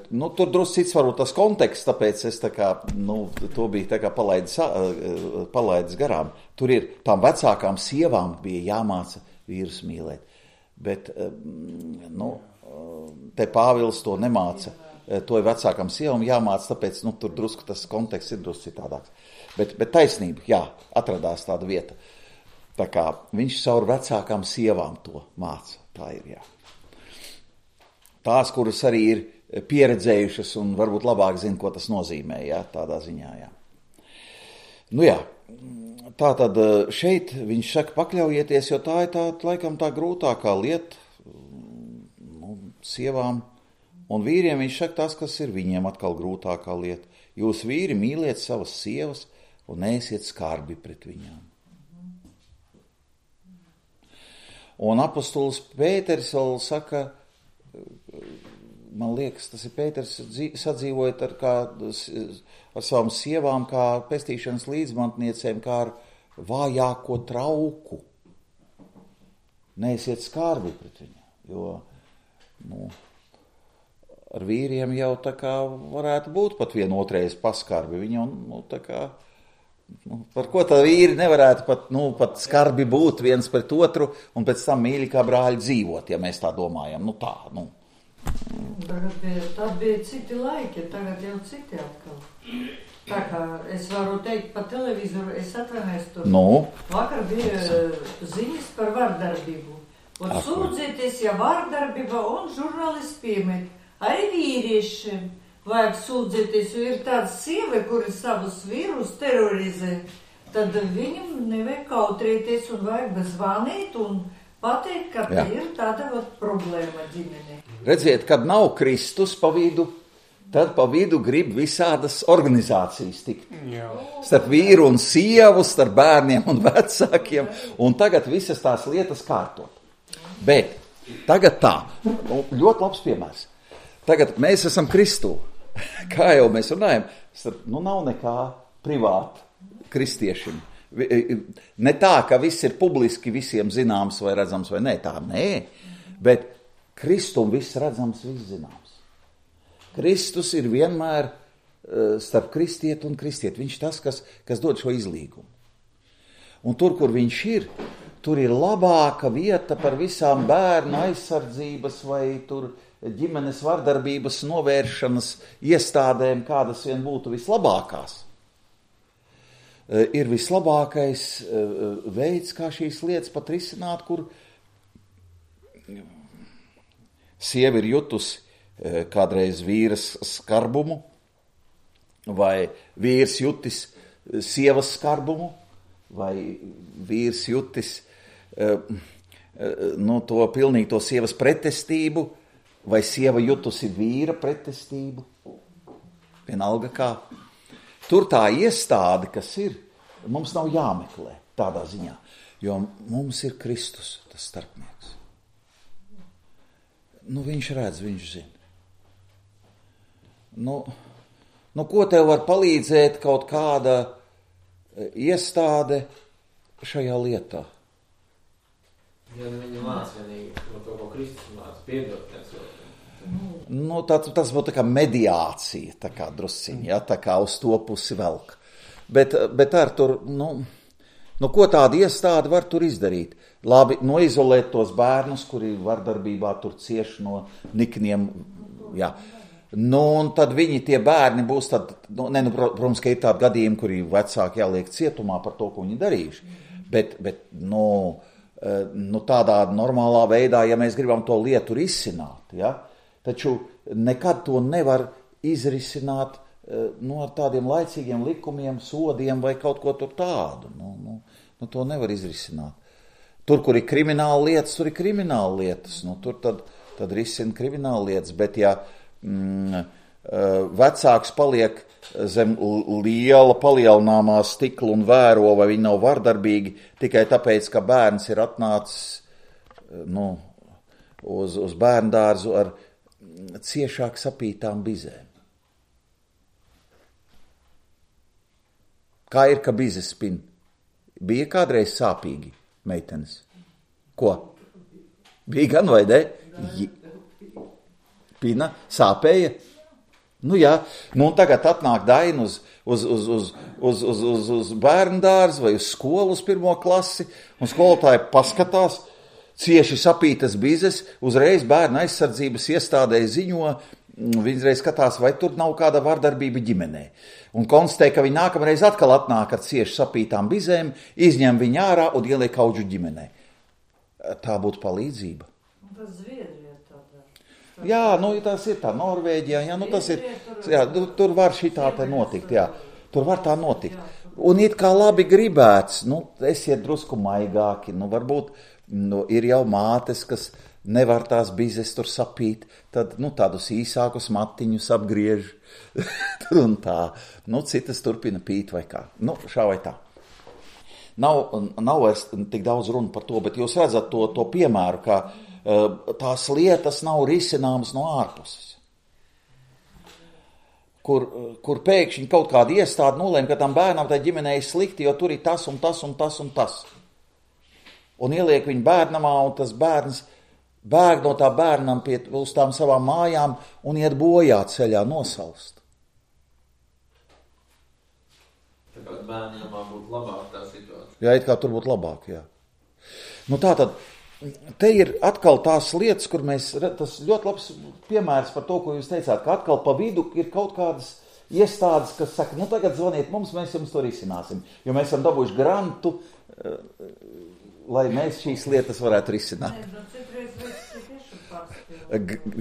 Tur drusku cits varbūt tas konteksts, tāpēc es to bija palaidis garām. Tur ir tām vecākām sievām bija jāmāca vīrus mīlēt. Bet, te Pāvils to nemāca. To ir vecākām sievām jāmāca, tāpēc, tur drusku tas konteksts ir drusku citādāks. Bet taisnība, jā, atradās tāda vieta. Tā kā viņš caur vecākām sievām to māca. Tā ir, jā. Tās, kuras arī ir pieredzējušas un varbūt labāk zina, ko tas nozīmē, jā, tādā ziņā, jā. Tātad šeit viņš saka pakļaujieties, jo tā ir laikam tā grūtākā lieta sievām un vīriem. Viņš saka tas, kas ir viņiem atkal grūtākā lieta. Jūs vīri mīliet savas sievas un neesiet skarbi pret viņām. Un apostols Pēteris vēl saka, man liekas, tas ir Pēters, sadzīvojot ar savām sievām, kā pestīšanas līdzmantniecēm, kā ar vājāko trauku. Neesiet skarbi pret viņu, jo ar vīriem jau tā kā varētu būt pat vienotreiz paskarbi. Viņi par ko tā vīri nevarētu pat skarbi būt viens pret otru un pēc tam mīļi kā brāļi dzīvot, ja mēs tā domājam. Tagad bija citi laiki, tagad jau citi atkal. Tā kā es varu teikt pa televizoru, es atvainojos tur. Vakar bija ziņas par vardarbību. Un sūdzieties, ja vardarbība un žurnālisti piemet. Arī vīriešiem vajag sūdzieties, jo ir tāda sieva, kuri savus vīrus terorizē. Tad viņam nevajag kautrēties un vajag zvanīt un pateikt, ka ir tāda problēma ģimenē. Redziet, kad nav Kristus pa vidu, tad pa vidu grib visādas organizācijas tikt. Starp vīru un sievu, starp bērniem un vecākiem, un tagad visas tās lietas kārtot. Bet tagad tā, ļoti labs piemērs. Tagad mēs esam Kristū. Kā jau mēs runājam, nav nekā privāta kristiešiem. Ne tā, ka viss ir publiski visiem zināms vai redzams vai nē, tā nē. Bet Kristum viss redzams, viss zināms. Kristus ir vienmēr starp kristieti un kristieti. Viņš tas, kas dod šo izlīgumu. Un tur, kur viņš ir, tur ir labāka vieta par visām bērnu aizsardzības vai tur ģimenes vardarbības novēršanas iestādēm, kādas vien būtu vislabākās. Ir vislabākais veids, kā šīs lietas pat risināt, kur sieva ir jutusi kādreiz vīras skarbumu, vai vīrs jutis sievas skarbumu, vai vīrs jutis to pilnīgi to sievas pretestību, vai sieva jutusi vīra pretestību. Vienalga kā. Tur tā iestāde, kas ir, mums nav jāmeklē tādā ziņā, jo mums ir Kristus, tas starpnieks. Viņš redz, viņš zina. Ko tev var palīdzēt kaut kāda iestāde šajā lietā? Ja viņi māca vienīgi no to, ko Kristus māca, piedot necot. Tas būtu tā kā mediācija, tā kā drusciņa, tā kā uz to pusi velk. Bet ar tur, ko tāda iestāde var tur izdarīt? Labi, noizolēt tos bērnus, kuri vardarbībā tur cieši no nikniem, jā. Un tad viņi, tie bērni būs tad, protams, ka ir tādi gadījumi, kuri vecāki jāliek cietumā par to, ko viņi darījuši. Bet tādā normālā veidā, ja mēs gribam to lietu risināt, ja, taču nekad to nevar izrisināt ar tādiem laicīgiem likumiem, sodiem vai kaut ko tur tādu. To nevar izrisināt. Tur, kur ir krimināla lietas, tur ir krimināla lietas. Tur tad risina krimināla lietas, bet ja vecāks paliek zem liela palielināmā stikla un vēro, vai viņi nav vardarbīgi, tikai tāpēc, ka bērns ir atnācis uz bērndārzu ar ciešāk sapītām bizēm. Kā ir, ka bizes spin? Bija kādreiz sāpīgi meitenes? Ko? Bija gan vai ne? Pina, sāpēja? Jā, tagad atnāk Daina uz bērndārzu vai uz skolu uz 1. klasi, un skolotāji paskatās, cieši sapītas bizes, uzreiz bērnu aizsardzības iestādē ziņo, viņi reiz skatās, vai tur nav kāda vardarbība ģimenē. Un konstatē, ka viņi nākamreiz atkal atnāk ar cieši sapītām bizēm, izņem viņu ārā un ieliek audžu ģimenē. Tā būtu palīdzība. Tas Zviedrijā tādā. Jā, tas ir tā Norvēģijā, tas ir, tur var šitā te notikt, jā. Tur var tā notikt. Un it kā labi gribēts, esiet drusku maigāki, varbūt ir jau mātes, kas nevar tās bizes tur sapīt, tad tādus īsākus matiņus apgriež tur un tā. Citas turpina pīt vai kā. Šā vai tā. Nav vairs tik daudz runa par to, bet jūs redzat to piemēru, ka tās lietas nav risināmas no ārpuses. Kur pēkšņi kaut kāda iestāde nolēma, ka tam bērnam tai ģimenei slikti, jo tur ir tas un tas un tas un tas. Un ieliek viņu bērnamā, un tas bērns bēg no tā bērnam uz tām savām mājām un iet bojā ceļā nosalst. Tā kā bērnamā būtu labāk tā situācija. Jā, it kā tur būtu labāk, jā. Tātad, te ir atkal tās lietas, kur tas ļoti labs piemērs par to, ko jūs teicāt, ka atkal pa vidu ir kaut kādas iestādes, kas saka, nu tagad zvaniet mums, mēs jums to risināsim. Jo mēs esam dabūjuši grantu, lai mēs šīs lietas varētu risināt.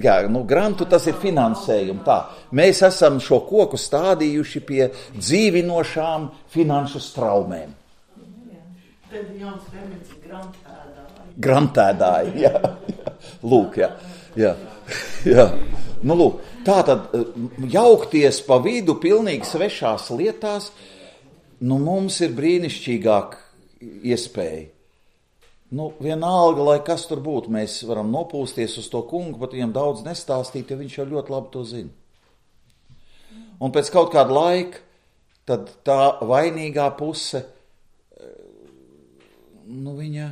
Jā, nu grantu tas ir finansējumi. Tā. Mēs esam šo koku stādījuši pie dzīvinošām finanšu straumēm. Tad jums remets grantēdāji. Grantēdāji, jā. Lūk, jā. Nu, lūk, tā tad jaukties pa vidu pilnīgi svešās lietās, nu, mums ir brīnišķīgāk iespēja. Nu, vienalga, lai kas tur būtu, mēs varam nopūsties uz to kungu, pat viņam daudz nestāstīt, jo viņš jau ļoti labi to zina. Un pēc kaut kāda laika, tad tā vainīgā puse, nu, viņa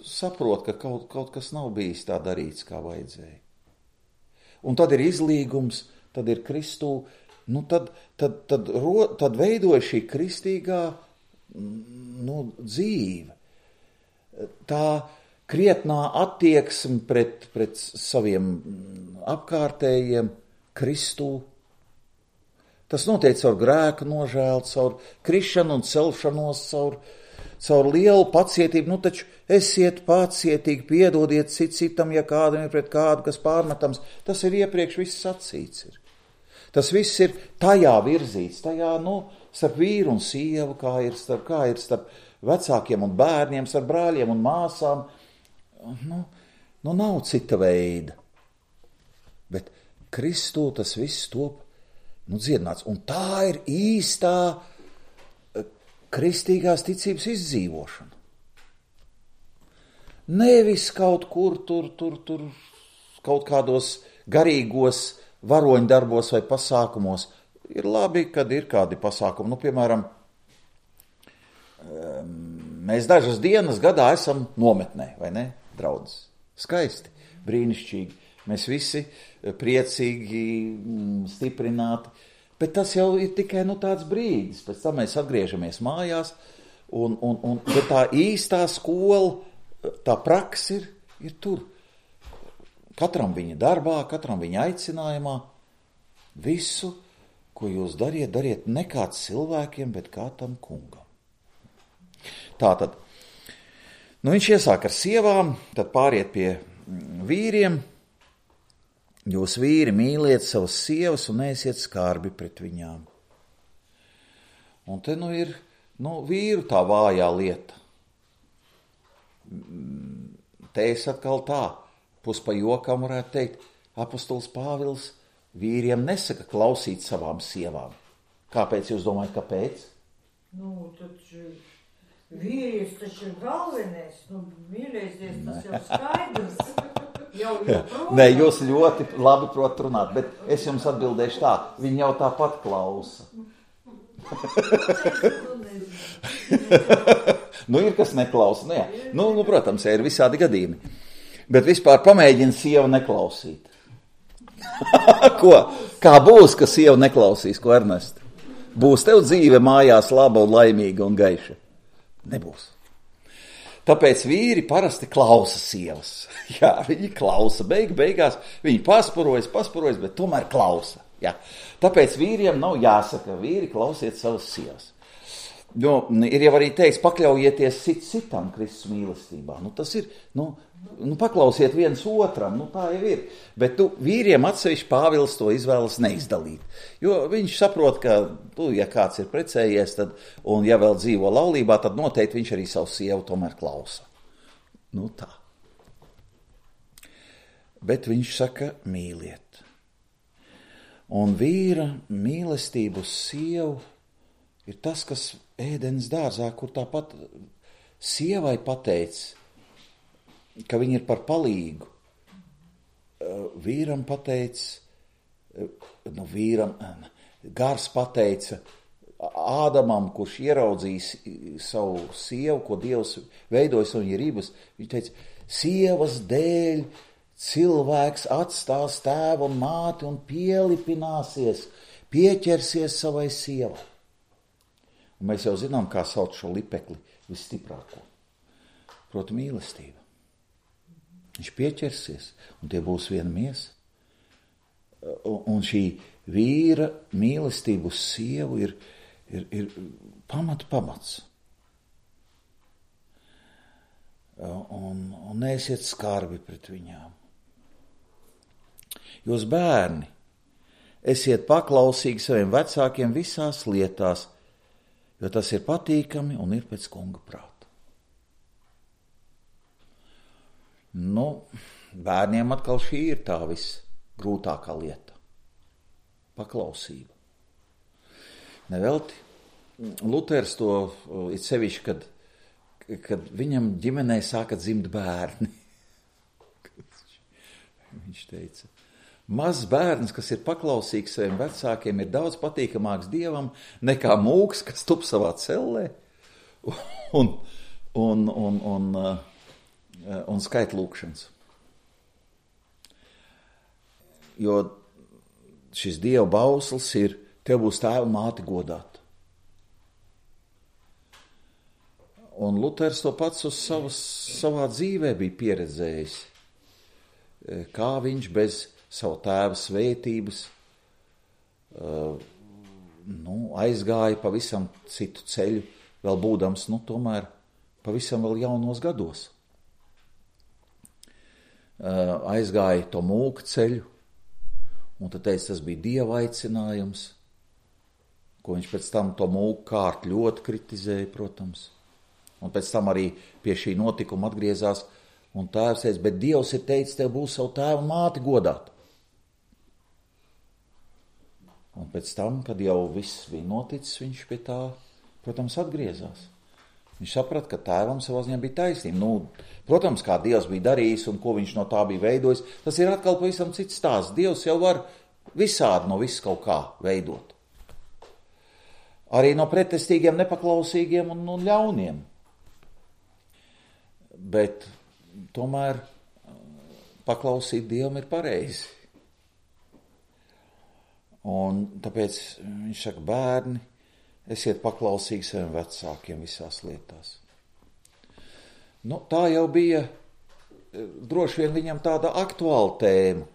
saprot, ka kaut kas nav bijis tā darīts, kā vajadzēja. Un tad ir izlīgums, tad ir Kristū, nu, tad veidoja šī kristīgā dzīve. Tā krietnā attieksme pret saviem apkārtējiem Kristū. Tas notiek caur grēku nožēlu, caur krišanu un celšanos, caur lielu pacietību. Nu, taču esiet pacietīgi, piedodiet citam, ja kādam ir pret kādu, kas pārmetams. Tas ir iepriekš viss sacīts. Tas viss ir tajā virzīts, tajā, starp vīru un sievu, kā ir starp vecākiem un bērniem, starp brāļiem un māsām. Nav cita veida. Bet Kristū tas viss top, dziedināts. Un tā ir īstā kristīgās ticības izdzīvošana. Nevis kaut kur tur kaut kādos garīgos varoņdarbos vai pasākumos. Ir labi, kad ir kādi pasākumi. Piemēram, mēs dažas dienas gadā esam nometnē, vai ne, draudzes? Skaisti, brīnišķīgi. Mēs visi priecīgi, stiprināti. Bet tas jau ir tikai tāds brīdis. Pēc tam mēs atgriežamies mājās, bet tā īstā skola, tā praksa ir tur. Katram viņa darbā, katram viņa aicinājumā. Visu, ko jūs dariet ne kā cilvēkiem, bet kā tam kungam. Tātad, viņš iesāk ar sievām, tad pāriet pie vīriem. Jūs vīri mīliet savas sievas un neesiet skarbi pret viņām. Un te ir vīru tā vājā lieta. Te es atkal tā, pus pa jokam varētu teikt, apostols Pāvils vīriem nesaka klausīt savām sievām. Kāpēc jūs domājat, kāpēc? Taču vīrietis taču ir galvenais, mīlēsies, tas jau skaidrs. Nē, jūs ļoti labi prot runāt, bet es jums atbildēšu tā, viņi jau tāpat klausa. Ir kas neklausa, protams, ir visādi gadījumi. Bet vispār pamēģina sievu neklausīt. Ko? Kā būs, ka sieva neklausīs, ko Ernest? Būs tev dzīve mājās laba un laimīga un gaiša? Nebūs. Tāpēc vīri parasti klausa sievas. Jā, viņi klausa. Beigās viņi paspurojas, bet tomēr klausa. Jā. Tāpēc vīriem nav jāsaka, vīri klausiet savas sievas. Ir jau arī teiks, pakļaujieties citam Kristus mīlestībā. Tas ir, paklausiet viens otram, tā jau ir. Bet vīriem atsevišķi Pāvils to izvēlas neizdalīt. Jo viņš saprot, ka, ja kāds ir precējies, un ja vēl dzīvo laulībā, tad noteikti viņš arī savu sievu tomēr klausa. Tā. Bet viņš saka, mīliet. Un vīra mīlestību uz sievu ir tas, kas ēdenes dārzā, kur tāpat sievai pateica, ka viņa ir par palīgu. Vīram pateica, Gars pateica Ādamam, kurš ieraudzīs savu sievu, ko Dievs veidojas un ir ribas, viņš teica, sievas dēļ cilvēks atstās tēvu un māti un pielipināsies, pieķersies savai sievai. Un mēs jau zinām, kā sauc šo lipekli visstiprāko. Proti mīlestība. Viņš pieķersies, un tie būs viena miesa. Un šī vīra mīlestību uz sievu ir pamats. Un neesiet skarbi pret viņām. Jūs bērni, esiet paklausīgi saviem vecākiem visās lietās, jo tas ir patīkami un ir pēc kunga prāta. Bērniem atkal šī ir tā visgrūtākā lieta. Paklausība. Nevelti Luters to ir sevišķi, kad viņam ģimenē sāka dzimt bērni. Viņš teica, mazs bērns, kas ir paklausīgs saviem vecākiem, ir daudz patīkamāks Dievam nekā mūks, kas tup savā cellē un skait lūkšanas. Jo šis Dieva bauslis ir, tev būs tēva māti godāt. Un Luters to pats uz savā dzīvē bija pieredzējis, kā viņš bez savu tēva svētības aizgāja pavisam citu ceļu, vēl būdams, tomēr pavisam vēl jaunos gados. Aizgāja to mūka ceļu, un tad teica, tas bija Dieva aicinājums, ko viņš pēc tam to mūka kārtu ļoti kritizēja, protams. Un pēc tam arī pie šī notikuma atgriezās, un tēvs teica, bet Dievs ir teicis, tev būs savu tēvu māti godāt. Un pēc tam, kad jau viss bija noticis, viņš pie tā, protams, atgriezās. Viņš saprata, ka tēvam savā ziņā bija taisnība. Protams, kā Dievs bija darījis un ko viņš no tā bija veidojis, tas ir atkal pavisam cits stāsts. Dievs jau var visādi no viss kaut kā veidot. Arī no pretestīgiem, nepaklausīgiem un ļauniem. Bet tomēr paklausīt Dievam ir pareizi. Un tāpēc viņš saka, bērni, esiet paklausīgi saviem vecākiem visās lietās. Tā jau bija droši vien viņam tāda aktuāla tēma.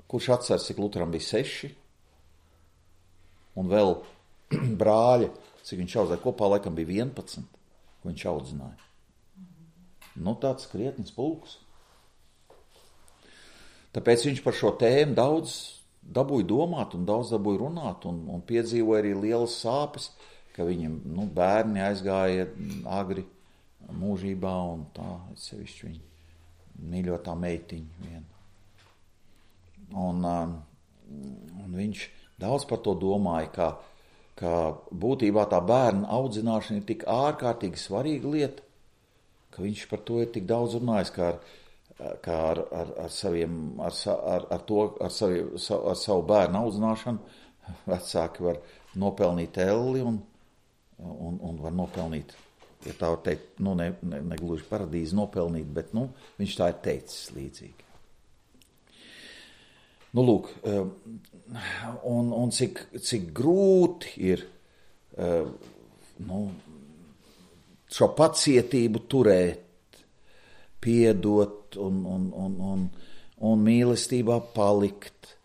Kurš atceras, cik Luteram bija 6? Un vēl brāļa, cik viņš audzināja kopā, laikam bija 11, ko viņš audzināja. Tāds krietnis pulks. Tāpēc viņš par šo tēmu daudz dabūja domāt un daudz dabūja runāt un piedzīvoja arī lielas sāpes, ka viņam bērni aizgāja agri mūžībā un tā, sevišķi viņa mīļotā meitiņa viena. Un viņš daudz par to domāja, ka būtībā tā bērna audzināšana ir tik ārkārtīgi svarīga lieta, ka viņš par to ir tik daudz runājis, kā ar savu bērnu audzināšanu vecāki var nopelnīt elli un var nopelnīt, ja tā var teikt, ne gluži paradīzi nopelnīt, bet viņš tā ir teicis līdzīgi. Lūk, un cik grūti ir šo pacietību turēt, piedot un mīlestībā palikt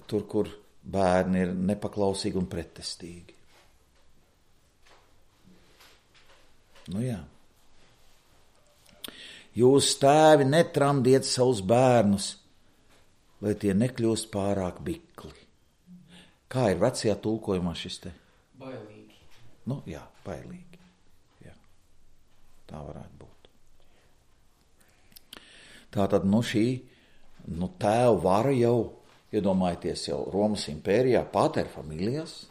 tur, kur bērni ir nepaklausīgi un pretestīgi. Jā. Jūs tēvi netramdiet savus bērnus, lai tie nekļūst pārāk bikli. Kā ir vecajā tulkojumā šis te? Bailīgi. Jā, bailīgi. Jā. Tā varētu būt. Tātad šī tēva vara jau, iedomājieties jau Romas impērijā, pater familijas,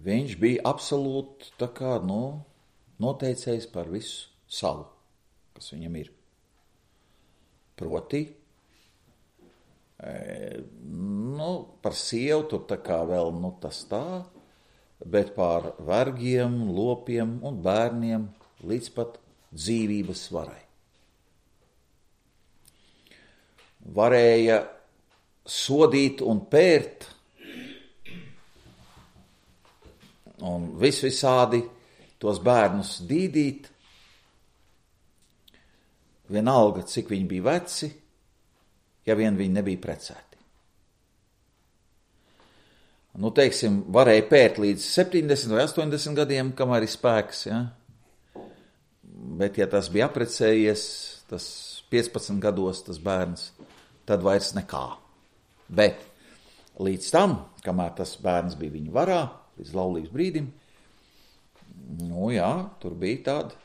viņš bija absolūti tā kā, noteicējis par visu savu, kas viņam ir. Proti, par sievu tur tā kā vēl, tas tā, bet par vergiem, lopiem un bērniem līdz pat dzīvības varai. Varēja sodīt un pērt un visādi tos bērnus dīdīt, vienalga, cik viņi bija veci, ja vien viņi nebija precēti. Nu, teiksim, varēja pērt līdz 70 vai 80 gadiem, kamēr ir spēks, ja? Bet, ja tas bija aprecējies, tas 15 gados tas bērns, tad vairs nekā. Bet līdz tam, kamēr tas bērns bija viņa varā, līdz laulības brīdim, nu jā, tur bija tāda,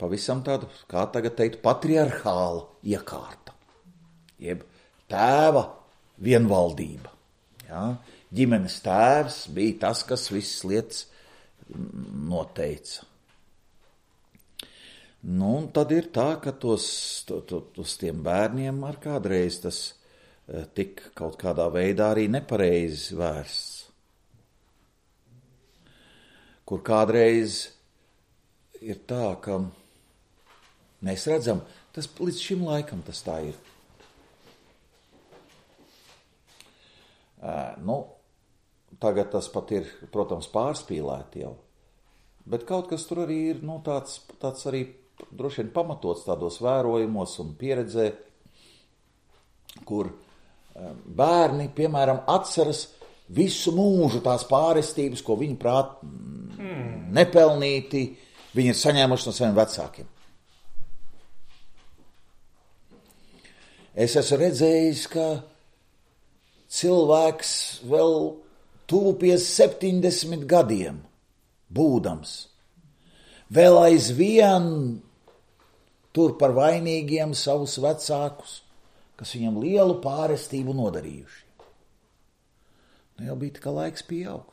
pavisam tāda, kā tagad teikt, patriarchāla iekārta. Jeb tēva vienvaldība. Ja? Ģimenes tēvs bija tas, kas visas lietas noteica. Nu, un tad ir tā, ka tos tiem bērniem ar kādreiz tas tik kaut kādā veidā arī nepareizi vērsts. Kur kādreiz ir tā, ka mēs redzam, tas līdz šim laikam tas tā ir. Nu, tagad tas pat ir, protams, pārspīlēti jau, bet kaut kas tur arī ir, nu, tāds arī droši vien pamatots tādos vērojumos un pieredzē, kur bērni, piemēram, atceras visu mūžu tās pārestības, ko viņi prāt nepelnīti, viņi ir saņēmuši no saviem vecākiem. Es esmu redzējis, ka cilvēks vēl tuvu pie 70 gadiem būdams, vēl aizvien tur par vainīgiem savus vecākus, kas viņam lielu pārestību nodarījuši. Nu, jau bija tikai laiks pieaugt.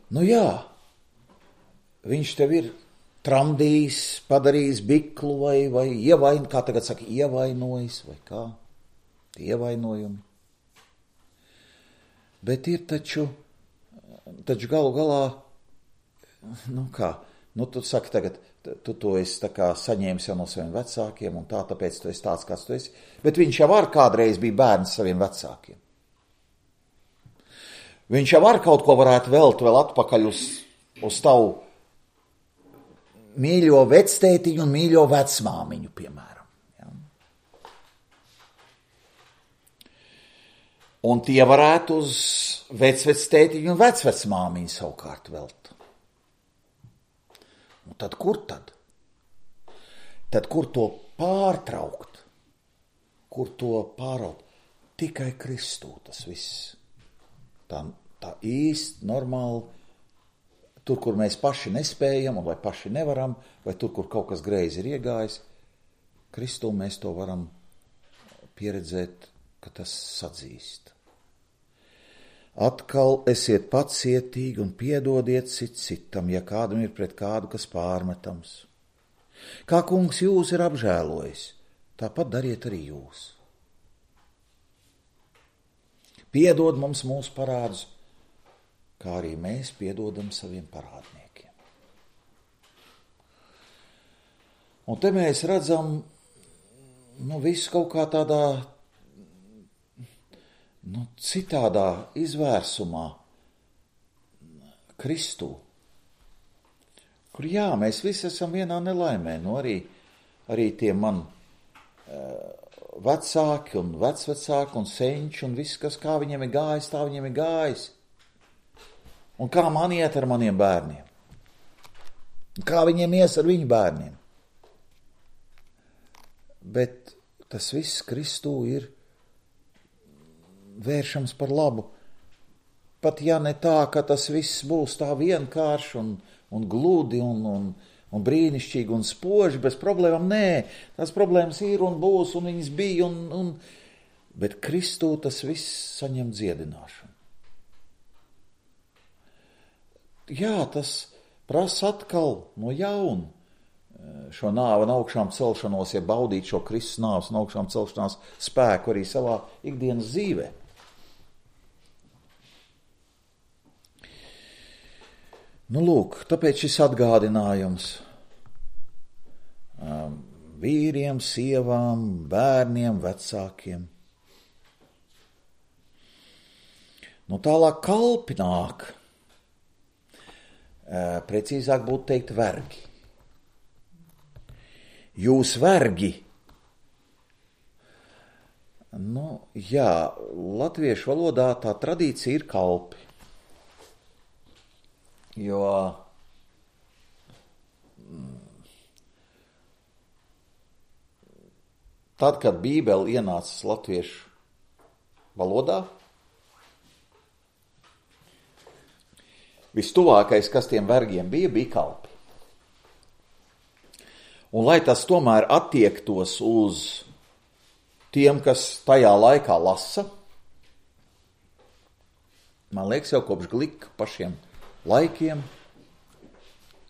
Nu jā, viņš tev ir tramdījis, padarījis biklu vai kā tagad saka, ievainojis vai kā, tie ievainojumi. Bet ir taču galu galā, nu kā, nu tu saki tagad, tu to esi tā kā saņēmis jau no saviem vecākiem un tā, tāpēc tu esi tāds, kāds tu esi. Bet viņš jau kādreiz bija bērns saviem vecākiem. Viņš jau kaut ko varētu velt vēl atpakaļ uz tavu mīļo vectētiņu un mīļo vecmāmiņu, piemēram. Ja? Un tie varētu uz vecvectētiņu un vecvecmāmiņu savukārt velt. Un tad kur tad? Tad kur to pārtraukt? Kur to pāraut? Tikai Kristū tas viss. Tā īsti normāli, tur, kur mēs paši nespējam, vai paši nevaram, vai tur, kur kaut kas greizi ir iegājis, Kristū mēs to varam pieredzēt, ka tas sadzīst. Atkal esiet pacietīgi un piedodiet citam, ja kādam ir pret kādu, kas pārmetams. Kā kungs jūs ir apžēlojis, tāpat dariet arī jūs. Piedod mums mūsu parādus, kā arī mēs piedodam saviem parādniekiem. Un te mēs redzam, visu kaut kā tādā, citādā izvērsumā Kristū, kur mēs visi esam vienā nelaimē, arī tie man vecāki un vecvecāki un senči un viss, kas kā viņiem ir gājis, tā viņiem ir gājis. Un kā man iet ar maniem bērniem? Kā viņiem ies ar viņu bērniem? Bet tas viss Kristū ir vēršams par labu. Pat ja ne tā, ka tas viss būs tā vienkārši un gludi un brīnišķīgi un spoži, bez problēmām, nē. Tās problēmas ir un būs un viņas bija, bet Kristū tas viss saņem dziedināšanu. Jā, tas prasa atkal no jauna šo nāvi un augšām celšanos, ja baudīt šo Kristus nāves un augšām celšanās spēku arī savā ikdienas dzīvē. Lūk, tāpēc šis atgādinājums vīriem, sievām, bērniem, vecākiem. Tālāk kalpi nāk. precīzāk būtu teikt vergi. Jūs vergi. Jā, latviešu valodā tā tradīcija ir kalpi. Jo tad, kad Bībele ienāca latviešu valodā, vistuvākais, kas tiem vergiem bija kalpi. Un lai tas tomēr attiektos uz tiem, kas tajā laikā lasa, man liekas, jau kopš Glika pašiem laikiem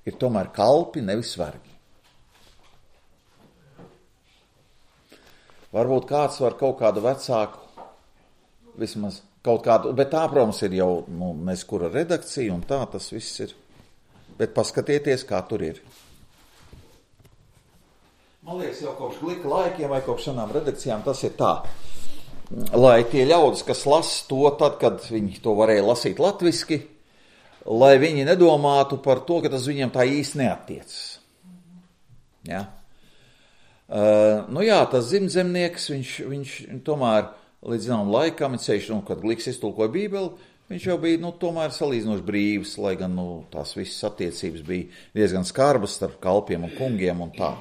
ir tomēr kalpi, nevis vergi. Varbūt kāds var kaut kādu vecāku, vismaz kaut kādu, bet tā, protams, ir jau neskura redakcija un tā tas viss ir. Bet paskatieties, kā tur ir. Man liekas, jau kopš Glika laikiem vai kopš šādām redakcijām tas ir tā, lai tie ļaudis, kas lasa to tad, kad viņi to varēja lasīt latviski, lai viņi nedomātu par to, ka tas viņiem tā īsti neattiecas. Ja? Tas dzimtzemnieks, viņš tomēr līdz zinām laikam, ceļš, kad Gliks iztulkoja Bībeli, viņš jau bija, tomēr salīdzinoši brīvs, lai gan, tās visas attiecības bija diezgan skarbas starp kalpiem un kungiem un tā.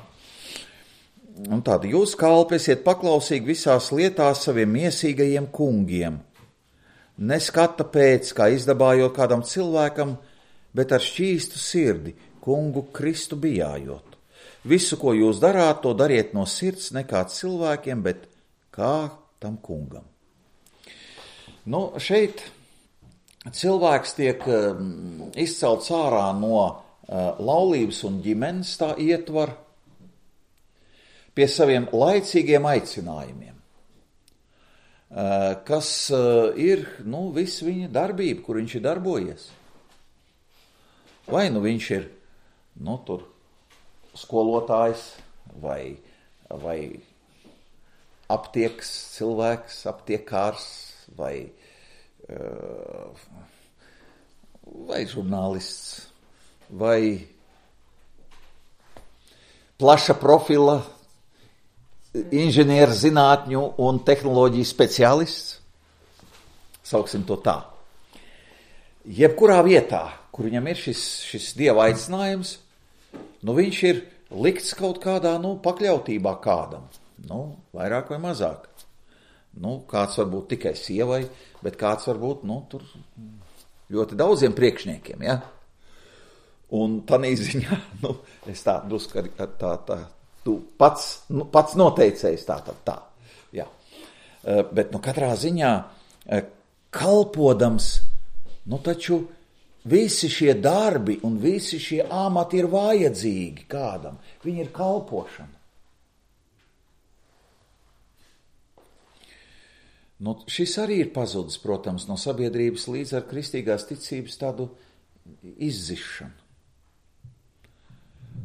Un tāda jūs kalpi esiet paklausīgi visās lietās saviem miesīgajiem kungiem. Neskata pēc, kā izdabājot kādam cilvēkam, bet ar šķīstu sirdi, kungu Kristu bijājot. Visu, ko jūs darāt, to dariet no sirds, ne kā cilvēkiem, bet kā tam kungam. Šeit cilvēks tiek izcelts ārā no laulības un ģimenes tā ietvar pie saviem laicīgiem aicinājumiem, kas ir, viss viņa darbība, kur viņš ir darbojies. Vai viņš ir, tur skolotājs vai aptiekas cilvēks, aptiekārs vai žurnālists vai plaša profila inženieru zinātņu un tehnoloģiju speciālists, sauksim to tā. Jebkurā vietā, kur viņam ir šis dieva aicinājums, viņš ir likts kaut kādā, pakļautībā kādam, vairāk vai mazāk. Kāds var būt tikai sievai, bet kāds var būt, tur ļoti daudziem priekšniekiem, ja? Un tanī ziņā, es tā drusku tu pats noteicējis tā. Jā. Bet, katrā ziņā kalpodams, taču visi šie darbi un visi šie amati ir vajadzīgi kādam. Viņi ir kalpošana. Šis arī ir pazudis, protams, no sabiedrības līdz ar kristīgās ticības tādu izzišanu.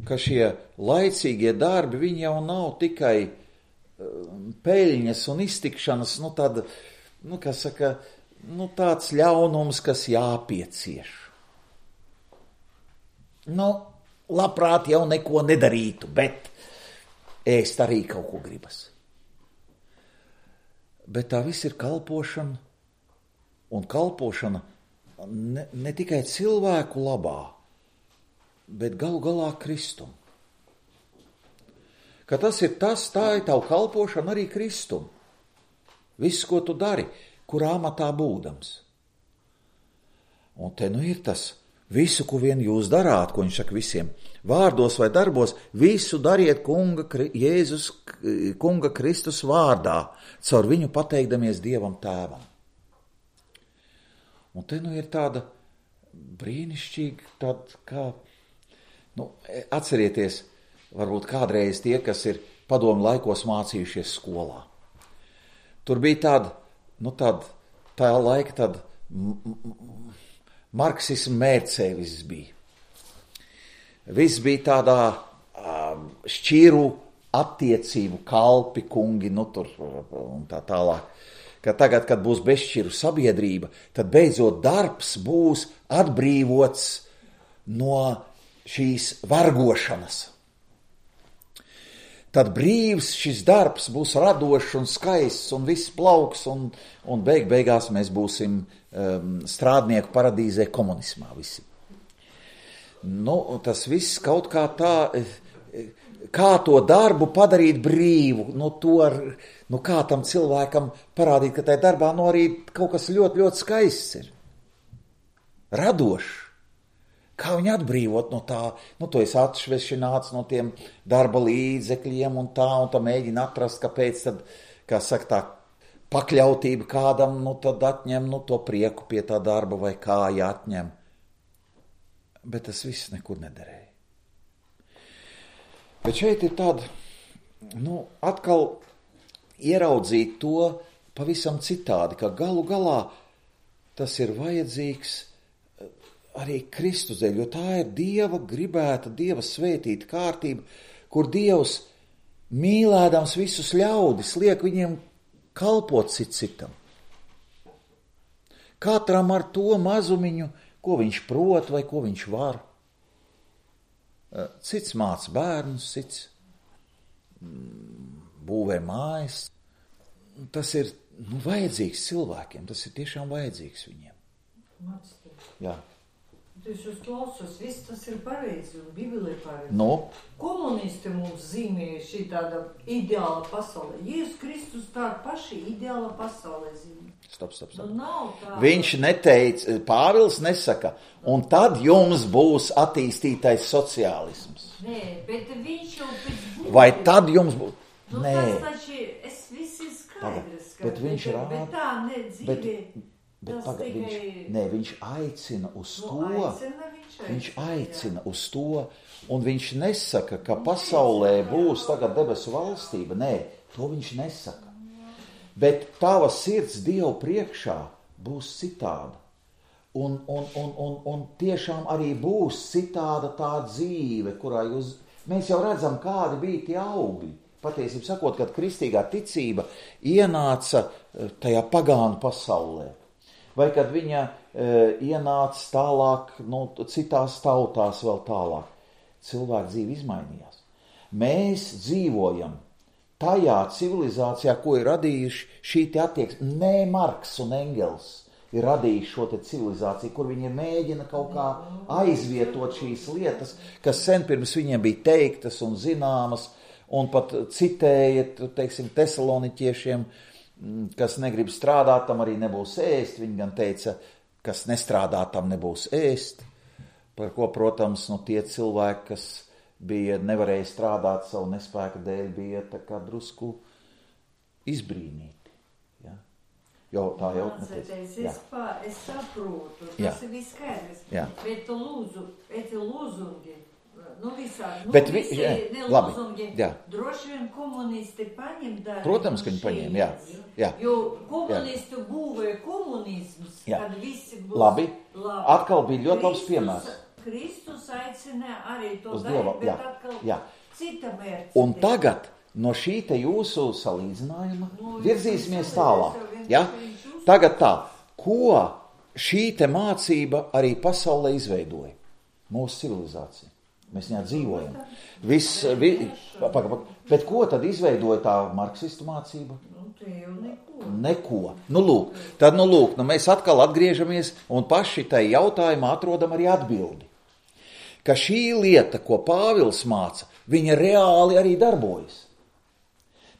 Ka šie laicīgie darbi, viņi jau nav tikai peļņas un iztikšanas, tāds ļaunums, kas jāpiecieš. Labprāt jau neko nedarītu, bet ēst arī kaut ko gribas. Bet tā viss ir kalpošana, un kalpošana ne tikai cilvēku labā, bet galu galā Kristum. Ka tas ir tā ir tavu kalpošana arī Kristum. Viss, ko tu dari, kurā amatā būdams. Un te ir tas, visu, ko vien jūs darāt, ko viņš saka visiem, vārdos vai darbos, visu dariet Jēzus, kunga Kristus vārdā, caur viņu pateikdamies Dievam Tēvam. Un te ir tāda brīnišķīga, tāda kā, atcerieties, varbūt kādreiz tie, kas ir padomu laikos mācījušies skolā. Tur bija tā laika tāda marksismu mērcē viss bija. Viss bija tādā šķiru attiecību kalpi, kungi, tur un tā tālāk. Ka tagad, kad būs bezšķiru sabiedrība, tad beidzot darbs būs atbrīvots no šīs vergošanas. Tad brīvs šis darbs būs radošs un skaists un viss plauks un beigās mēs būsim strādnieku paradīzē komunismā visi. Tas viss kaut kā tā, kā to darbu padarīt brīvu, kā tam cilvēkam parādīt, ka tajā darbā arī kaut kas ļoti, ļoti skaists ir. Radošs. Kā viņu atbrīvot no tā, to es atšvešināts no tiem darba līdzekļiem un tā mēģina atrast, kāpēc tad, kā saka, tā pakļautība kādam, tad atņem, to prieku pie tā darba vai kāja atņem. Bet tas viss nekur nederēja. Bet šeit ir tāda, atkal ieraudzīt to pavisam citādi, ka galu galā tas ir vajadzīgs arī Kristus dēļ, jo tā ir Dieva gribēta, Dieva svētīta kārtība, kur Dievs mīlēdams visus ļaudis liek viņiem kalpot citam. Katram ar to mazumiņu, ko viņš prot vai ko viņš var. Cits māc bērnus, cits būvē mājas. Tas ir vajadzīgs cilvēkiem, tas ir tiešām vajadzīgs viņiem. Jā. Es jūs klausos, viss tas ir pareizi un Bībelē pareizi. Komunisti mums zīmēja šī tāda ideāla pasaulē. Jēzus Kristus tā paši ideāla pasaulē zīmē. Stop. Viņš neteica, Pāvils nesaka, un tad jums būs attīstītais sociālisms. Nē, bet viņš jau pēc būtības. Vai tad jums būs? Nē. Tas taču, es visi skaidrs, bet viņš rāda. Bet tā nedzīvē. Viņš aicina uz to, viņš aicina uz to, un viņš nesaka, ka pasaulē būs tagad debesu valstība. Nē, to viņš nesaka. Bet tava sirds Dievu priekšā būs citāda. Un tiešām arī būs citāda tā dzīve, kurā mēs jau redzam, kādi bija tie augļi. Patiesībā sakot, kad kristīgā ticība ienāca tajā pagānu pasaulē. Vai kad viņa ienāca tālāk, citās tautās vēl tālāk. Cilvēka dzīve izmainījās. Mēs dzīvojam tajā civilizācijā, ko ir radījuši šī te attieksme. Nē, Marks un Engels ir radījuši šo te civilizāciju, kur viņi mēģina kaut kā aizvietot šīs lietas, kas sen pirms viņiem bija teiktas un zināmas, un pat citēja, teiksim, tesaloniķiešiem, kas negrib strādāt, tam arī nebūs ēst. Viņi gan teica, kas nestrādā, tam nebūs ēst. Par ko, protams, tie cilvēki, kas nevarēja strādāt savu nespēku dēļ, bija tā kā drusku izbrīnīti. Ja? Jo tā jau es saprotu, tas ir viss skaidrs. Bet lūzungi. Bet lūzungi, droši vien komunisti paņem darbu. Protams, ka viņi paņem, jā. Jo komunisti būvēja komunisms, kad visi būs labi. Atkal bija ļoti labs piemērs. Kristus aicināja arī to darīt, bet atkal cita mērķi. Un tagad no šī te jūsu salīdzinājuma virzīsimies tālāk. Ja? Tagad tā, ko šī te mācība arī pasaulē izveidoja? Mūsu civilizācija. Mēs viņā dzīvojam. Bet ko tad izveidoja tā marksistu mācība? Neko. Lūk, mēs atkal atgriežamies un paši tai jautājumā atrodam arī atbildi. Ka šī lieta, ko Pāvils māca, viņa reāli arī darbojas.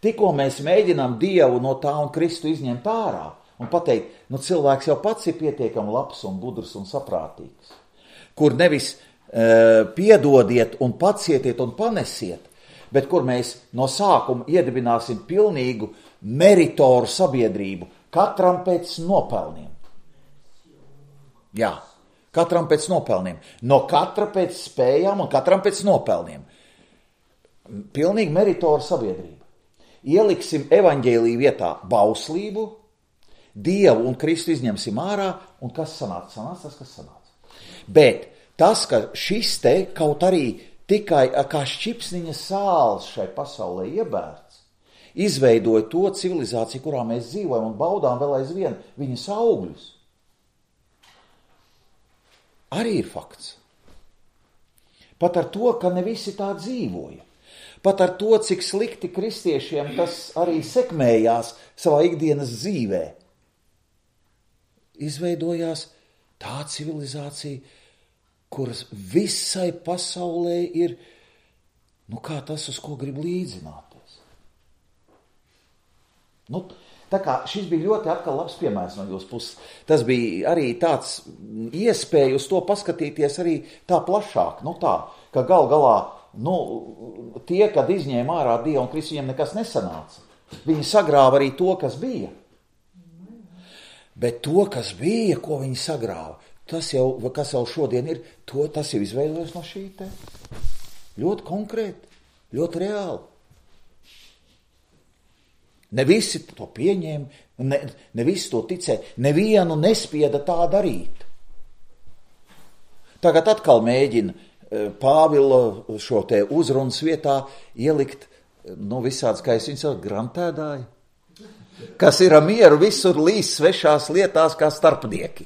Tikko mēs mēģinām Dievu no tā un Kristu izņemt ārā un pateikt, cilvēks jau pats ir pietiekami labs un gudrs un saprātīgs, kur nevis piedodiet un pacietiet un panesiet, bet kur mēs no sākuma iedibināsim pilnīgu meritoru sabiedrību, katram pēc nopelniem. Jā, katram pēc nopelniem. No katra pēc spējām un katram pēc nopelniem. Pilnīgi meritoru sabiedrība. Ieliksim evaņģēliju vietā bauslību, Dievu un Kristu izņemsim ārā, un kas sanāca? Sanāca tas, kas sanāca. Bet tas, ka šis te kaut arī tikai kā šķipsniņa sāls šai pasaulē iebērts, izveidoja to civilizāciju, kurā mēs dzīvojam un baudām vēl aizvien viņas augļus. Arī ir fakts. pat ar to, ka ne visi tā dzīvoja, pat ar to, cik slikti kristiešiem tas arī sekmējās savā ikdienas dzīvē, izveidojās tā civilizācija, kuras visai pasaulē ir, kā tas, uz ko grib līdzināties. Tā kā šis bija ļoti atkal labs piemērs no jūsu puses. Tas bija arī tāds iespēja uz to paskatīties arī tā plašāk, tā, ka gal galā, tie, kad izņēma ārā Dievu un Kristu, viņiem nekas nesanāca. Viņi sagrāva arī to, kas bija. Bet to, kas bija, ko viņi sagrāva, tas jau, kas jau šodien ir, tas jau izveidojas no šī te. Ļoti konkrēti, ļoti reāli. Ne visi to pieņēma, ne visi to ticēja, nevienu nespieda tā darīt. Tagad atkal mēģina Pāvila šo te uzrunas vietā ielikt, visāds, kā es viņu sauc, grantēdāji, kas ir mieru visur līdz svešās lietās kā starpnieki.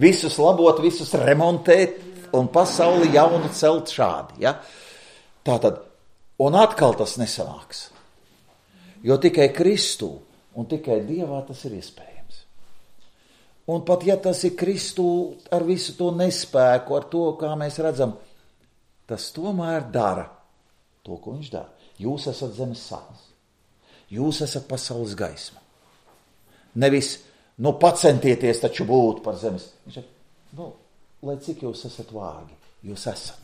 Visus labot, visus remontēt un pasauli jaunu celt šādi. Ja? Tātad, un atkal tas nesanāks. Jo tikai Kristū un tikai Dievā tas ir iespējams. Un pat ja tas ir Kristū ar visu to nespēku, ar to, kā mēs redzam, tas tomēr dara to, ko viņš dara. Jūs esat zemes sāls. Jūs esat pasaules gaisma. Nevis, pacentieties taču būt par zemes. Viņš saka, lai cik jūs esat vārgi, jūs esat.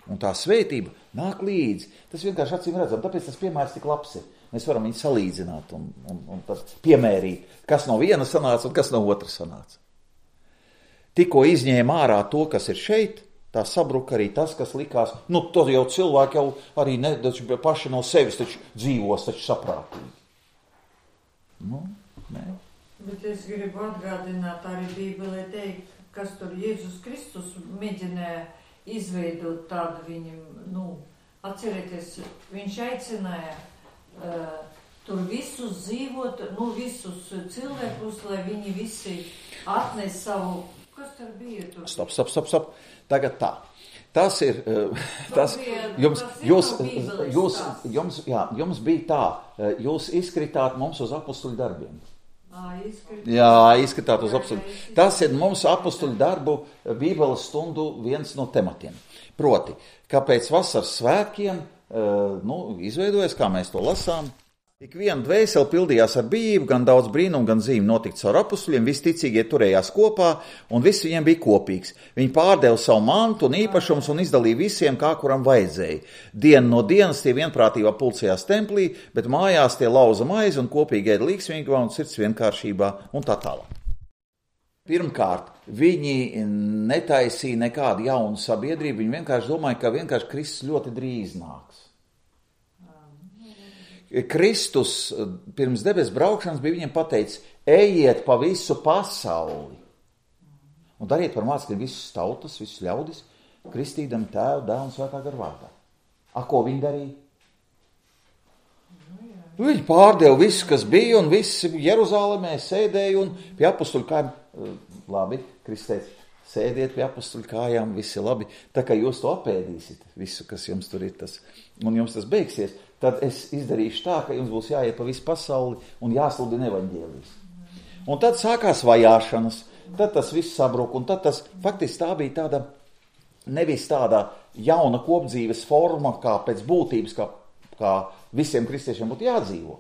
Un tā svētība nāk līdzi. Tas vienkārši acīm redzam, tāpēc tas piemērs tik labs ir. Mēs varam viņu salīdzināt un tad piemērīt, kas no viena sanāca un kas no otra sanāca. Tikko izņēma ārā to, kas ir šeit, tā sabruka arī tas, kas likās, to jau cilvēki jau arī paši no sevis taču dzīvos taču saprātīgi. Nē. Bet es gribu atgādināt arī Bībelē teikt, kas tur Jēzus Kristus mēģināja izveidot tādu viņam, atcerieties, viņš aicināja tur visus dzīvot, visus cilvēkus, lai viņi visi atnes savu, kas tur bija tur? Stop. Tagad tā. Tas ir, jums bija tā, jūs izkritāt mums uz apostuļu darbiem. Izskatāt uz apostuļu. Tas ir mums apostuļu darbu Bībeles stundu viens no tematiem. Proti, kāpēc vasaras svētkiem izveidojas, kā mēs to lasām, ik viena dvēsele pildījās ar bijību, gan daudz brīnumu, gan zīmi notika caur apostuļiem, visi ticīgie turējās kopā, un viss viņiem bija kopīgs. Viņi pārdeva savu mantu un īpašumus un izdalīja visiem, kā kuram vajadzēja. Dienu no dienas tie vienprātībā pulcējās templī, bet mājās tie lauza maizi un kopīgi ēda līgsmīgā un sirds vienkāršībā un tā tālāk. Pirmkārt, viņi netaisīja nekādu jaunu sabiedrību, viņi vienkārši domāja, ka vienkārši Kristus ļoti drīz nāks. Kristus pirms debesu braukšanas bija viņiem pateicis, ejiet pa visu pasauli un dariet par mācekļiem visas tautas, visus ļaudis, kristīdami Tēvu, Dēlu un Svētā gara vārdā. Ko viņi darīja? Viņi pārdeva visu, kas bija, un visi Jeruzālēmē sēdēja un pie apostuļu kājām. Labi, Kristus teica, sēdiet pie apostuļu kājām, visi labi. Tā kā jūs to apēdīsit, visu, kas jums tur ir tas, un jums tas beigsies, tad es izdarīšu tā, ka jums būs jāiet pa visu pasauli un jāsludina evaņģēlijs. Un tad sākās vajāšanas, tad tas viss sabruka, un tad tas faktiski tā bija tāda, nevis tāda jauna kopdzīves forma, kā pēc būtības, kā visiem kristiešiem būtu jādzīvo.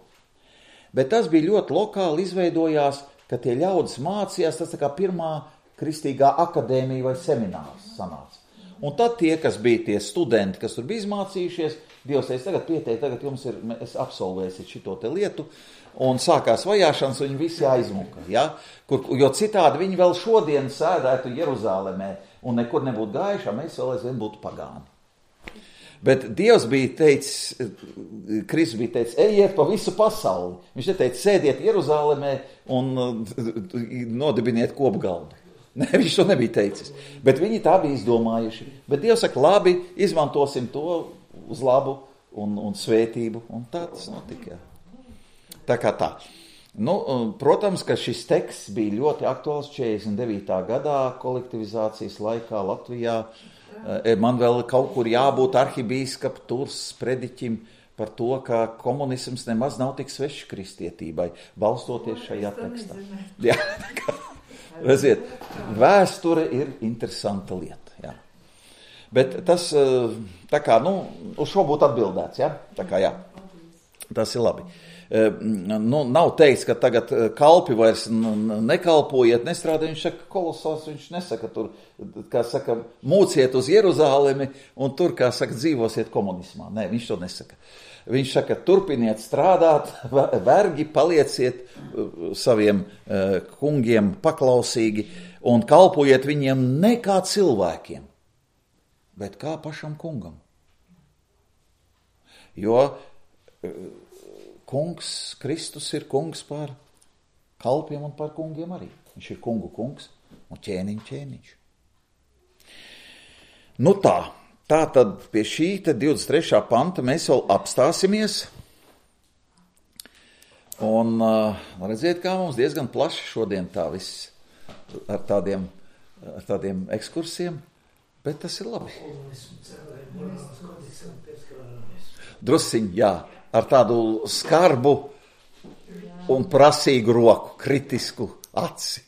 Bet tas bija ļoti lokāli izveidojās, ka tie ļaudis mācījās, tas tā kā pirmā kristīgā akadēmija vai seminārs sanāca. Un tad tie, kas bija tie studenti, kas tur bija izmācījušies, Dievs teica, tagad pieteikt, tagad jums ir, es absolvēsiet šito te lietu, un sākās vajāšanas, un viņi visi aizmuka, ja? Jo citādi viņi vēl šodien sēdētu Jeruzālēmē, un nekur nebūtu gājuši, mēs vēl aizvien būtu pagāni. Bet Dievs bija teicis, Kristus bija teicis, ejiet pa visu pasauli. Viņš neteica, sēdiet Jeruzālēmē un nodibiniet kopgaldu. Ne, viņš to nebija teicis. Bet viņi tā bija izdomājuši. Bet Dievs saka, labi, izmantosim to uz labu un svētību. Un tā tas notika. Tā kā tā. Protams, ka šis teksts bija ļoti aktuāls 49. gadā kolektivizācijas laikā Latvijā. Man vēl kaut kur jābūt arhibīskapa Turs prediķim par to, ka komunisms nemaz nav tik svešs kristietībai, balstoties šajā tekstā. Jā, redziet, vēsture ir interesanta lieta. Jā. Bet tas, tā kā, uz šo būtu atbildēts, jā? Tā kā, jā, tas ir labi. Nav teikts, ka tagad kalpi vairs nekalpojiet, nestrādājiet, viņš saka kolosāls, viņš nesaka tur, kā saka, mūciet uz Jeruzālemi un tur, kā saka, dzīvosiet komunismā. Nē, viņš to nesaka. Viņš saka, turpiniet strādāt, vergi, palieciet saviem kungiem paklausīgi un kalpojiet viņiem ne kā cilvēkiem, bet kā pašam kungam. Jo kungs, Kristus ir kungs par kalpiem un par kungiem arī. Viņš ir kungu kungs un ķēniņš. Tā tad pie šī 23. panta mēs vēl apstāsimies. Un redziet, kā mums diezgan plaši šodien tā viss ar tādiem ekskursiem, bet tas ir labi. Drusciņ, jā. Ar tādu skarbu un prasīgu roku, kritisku aci.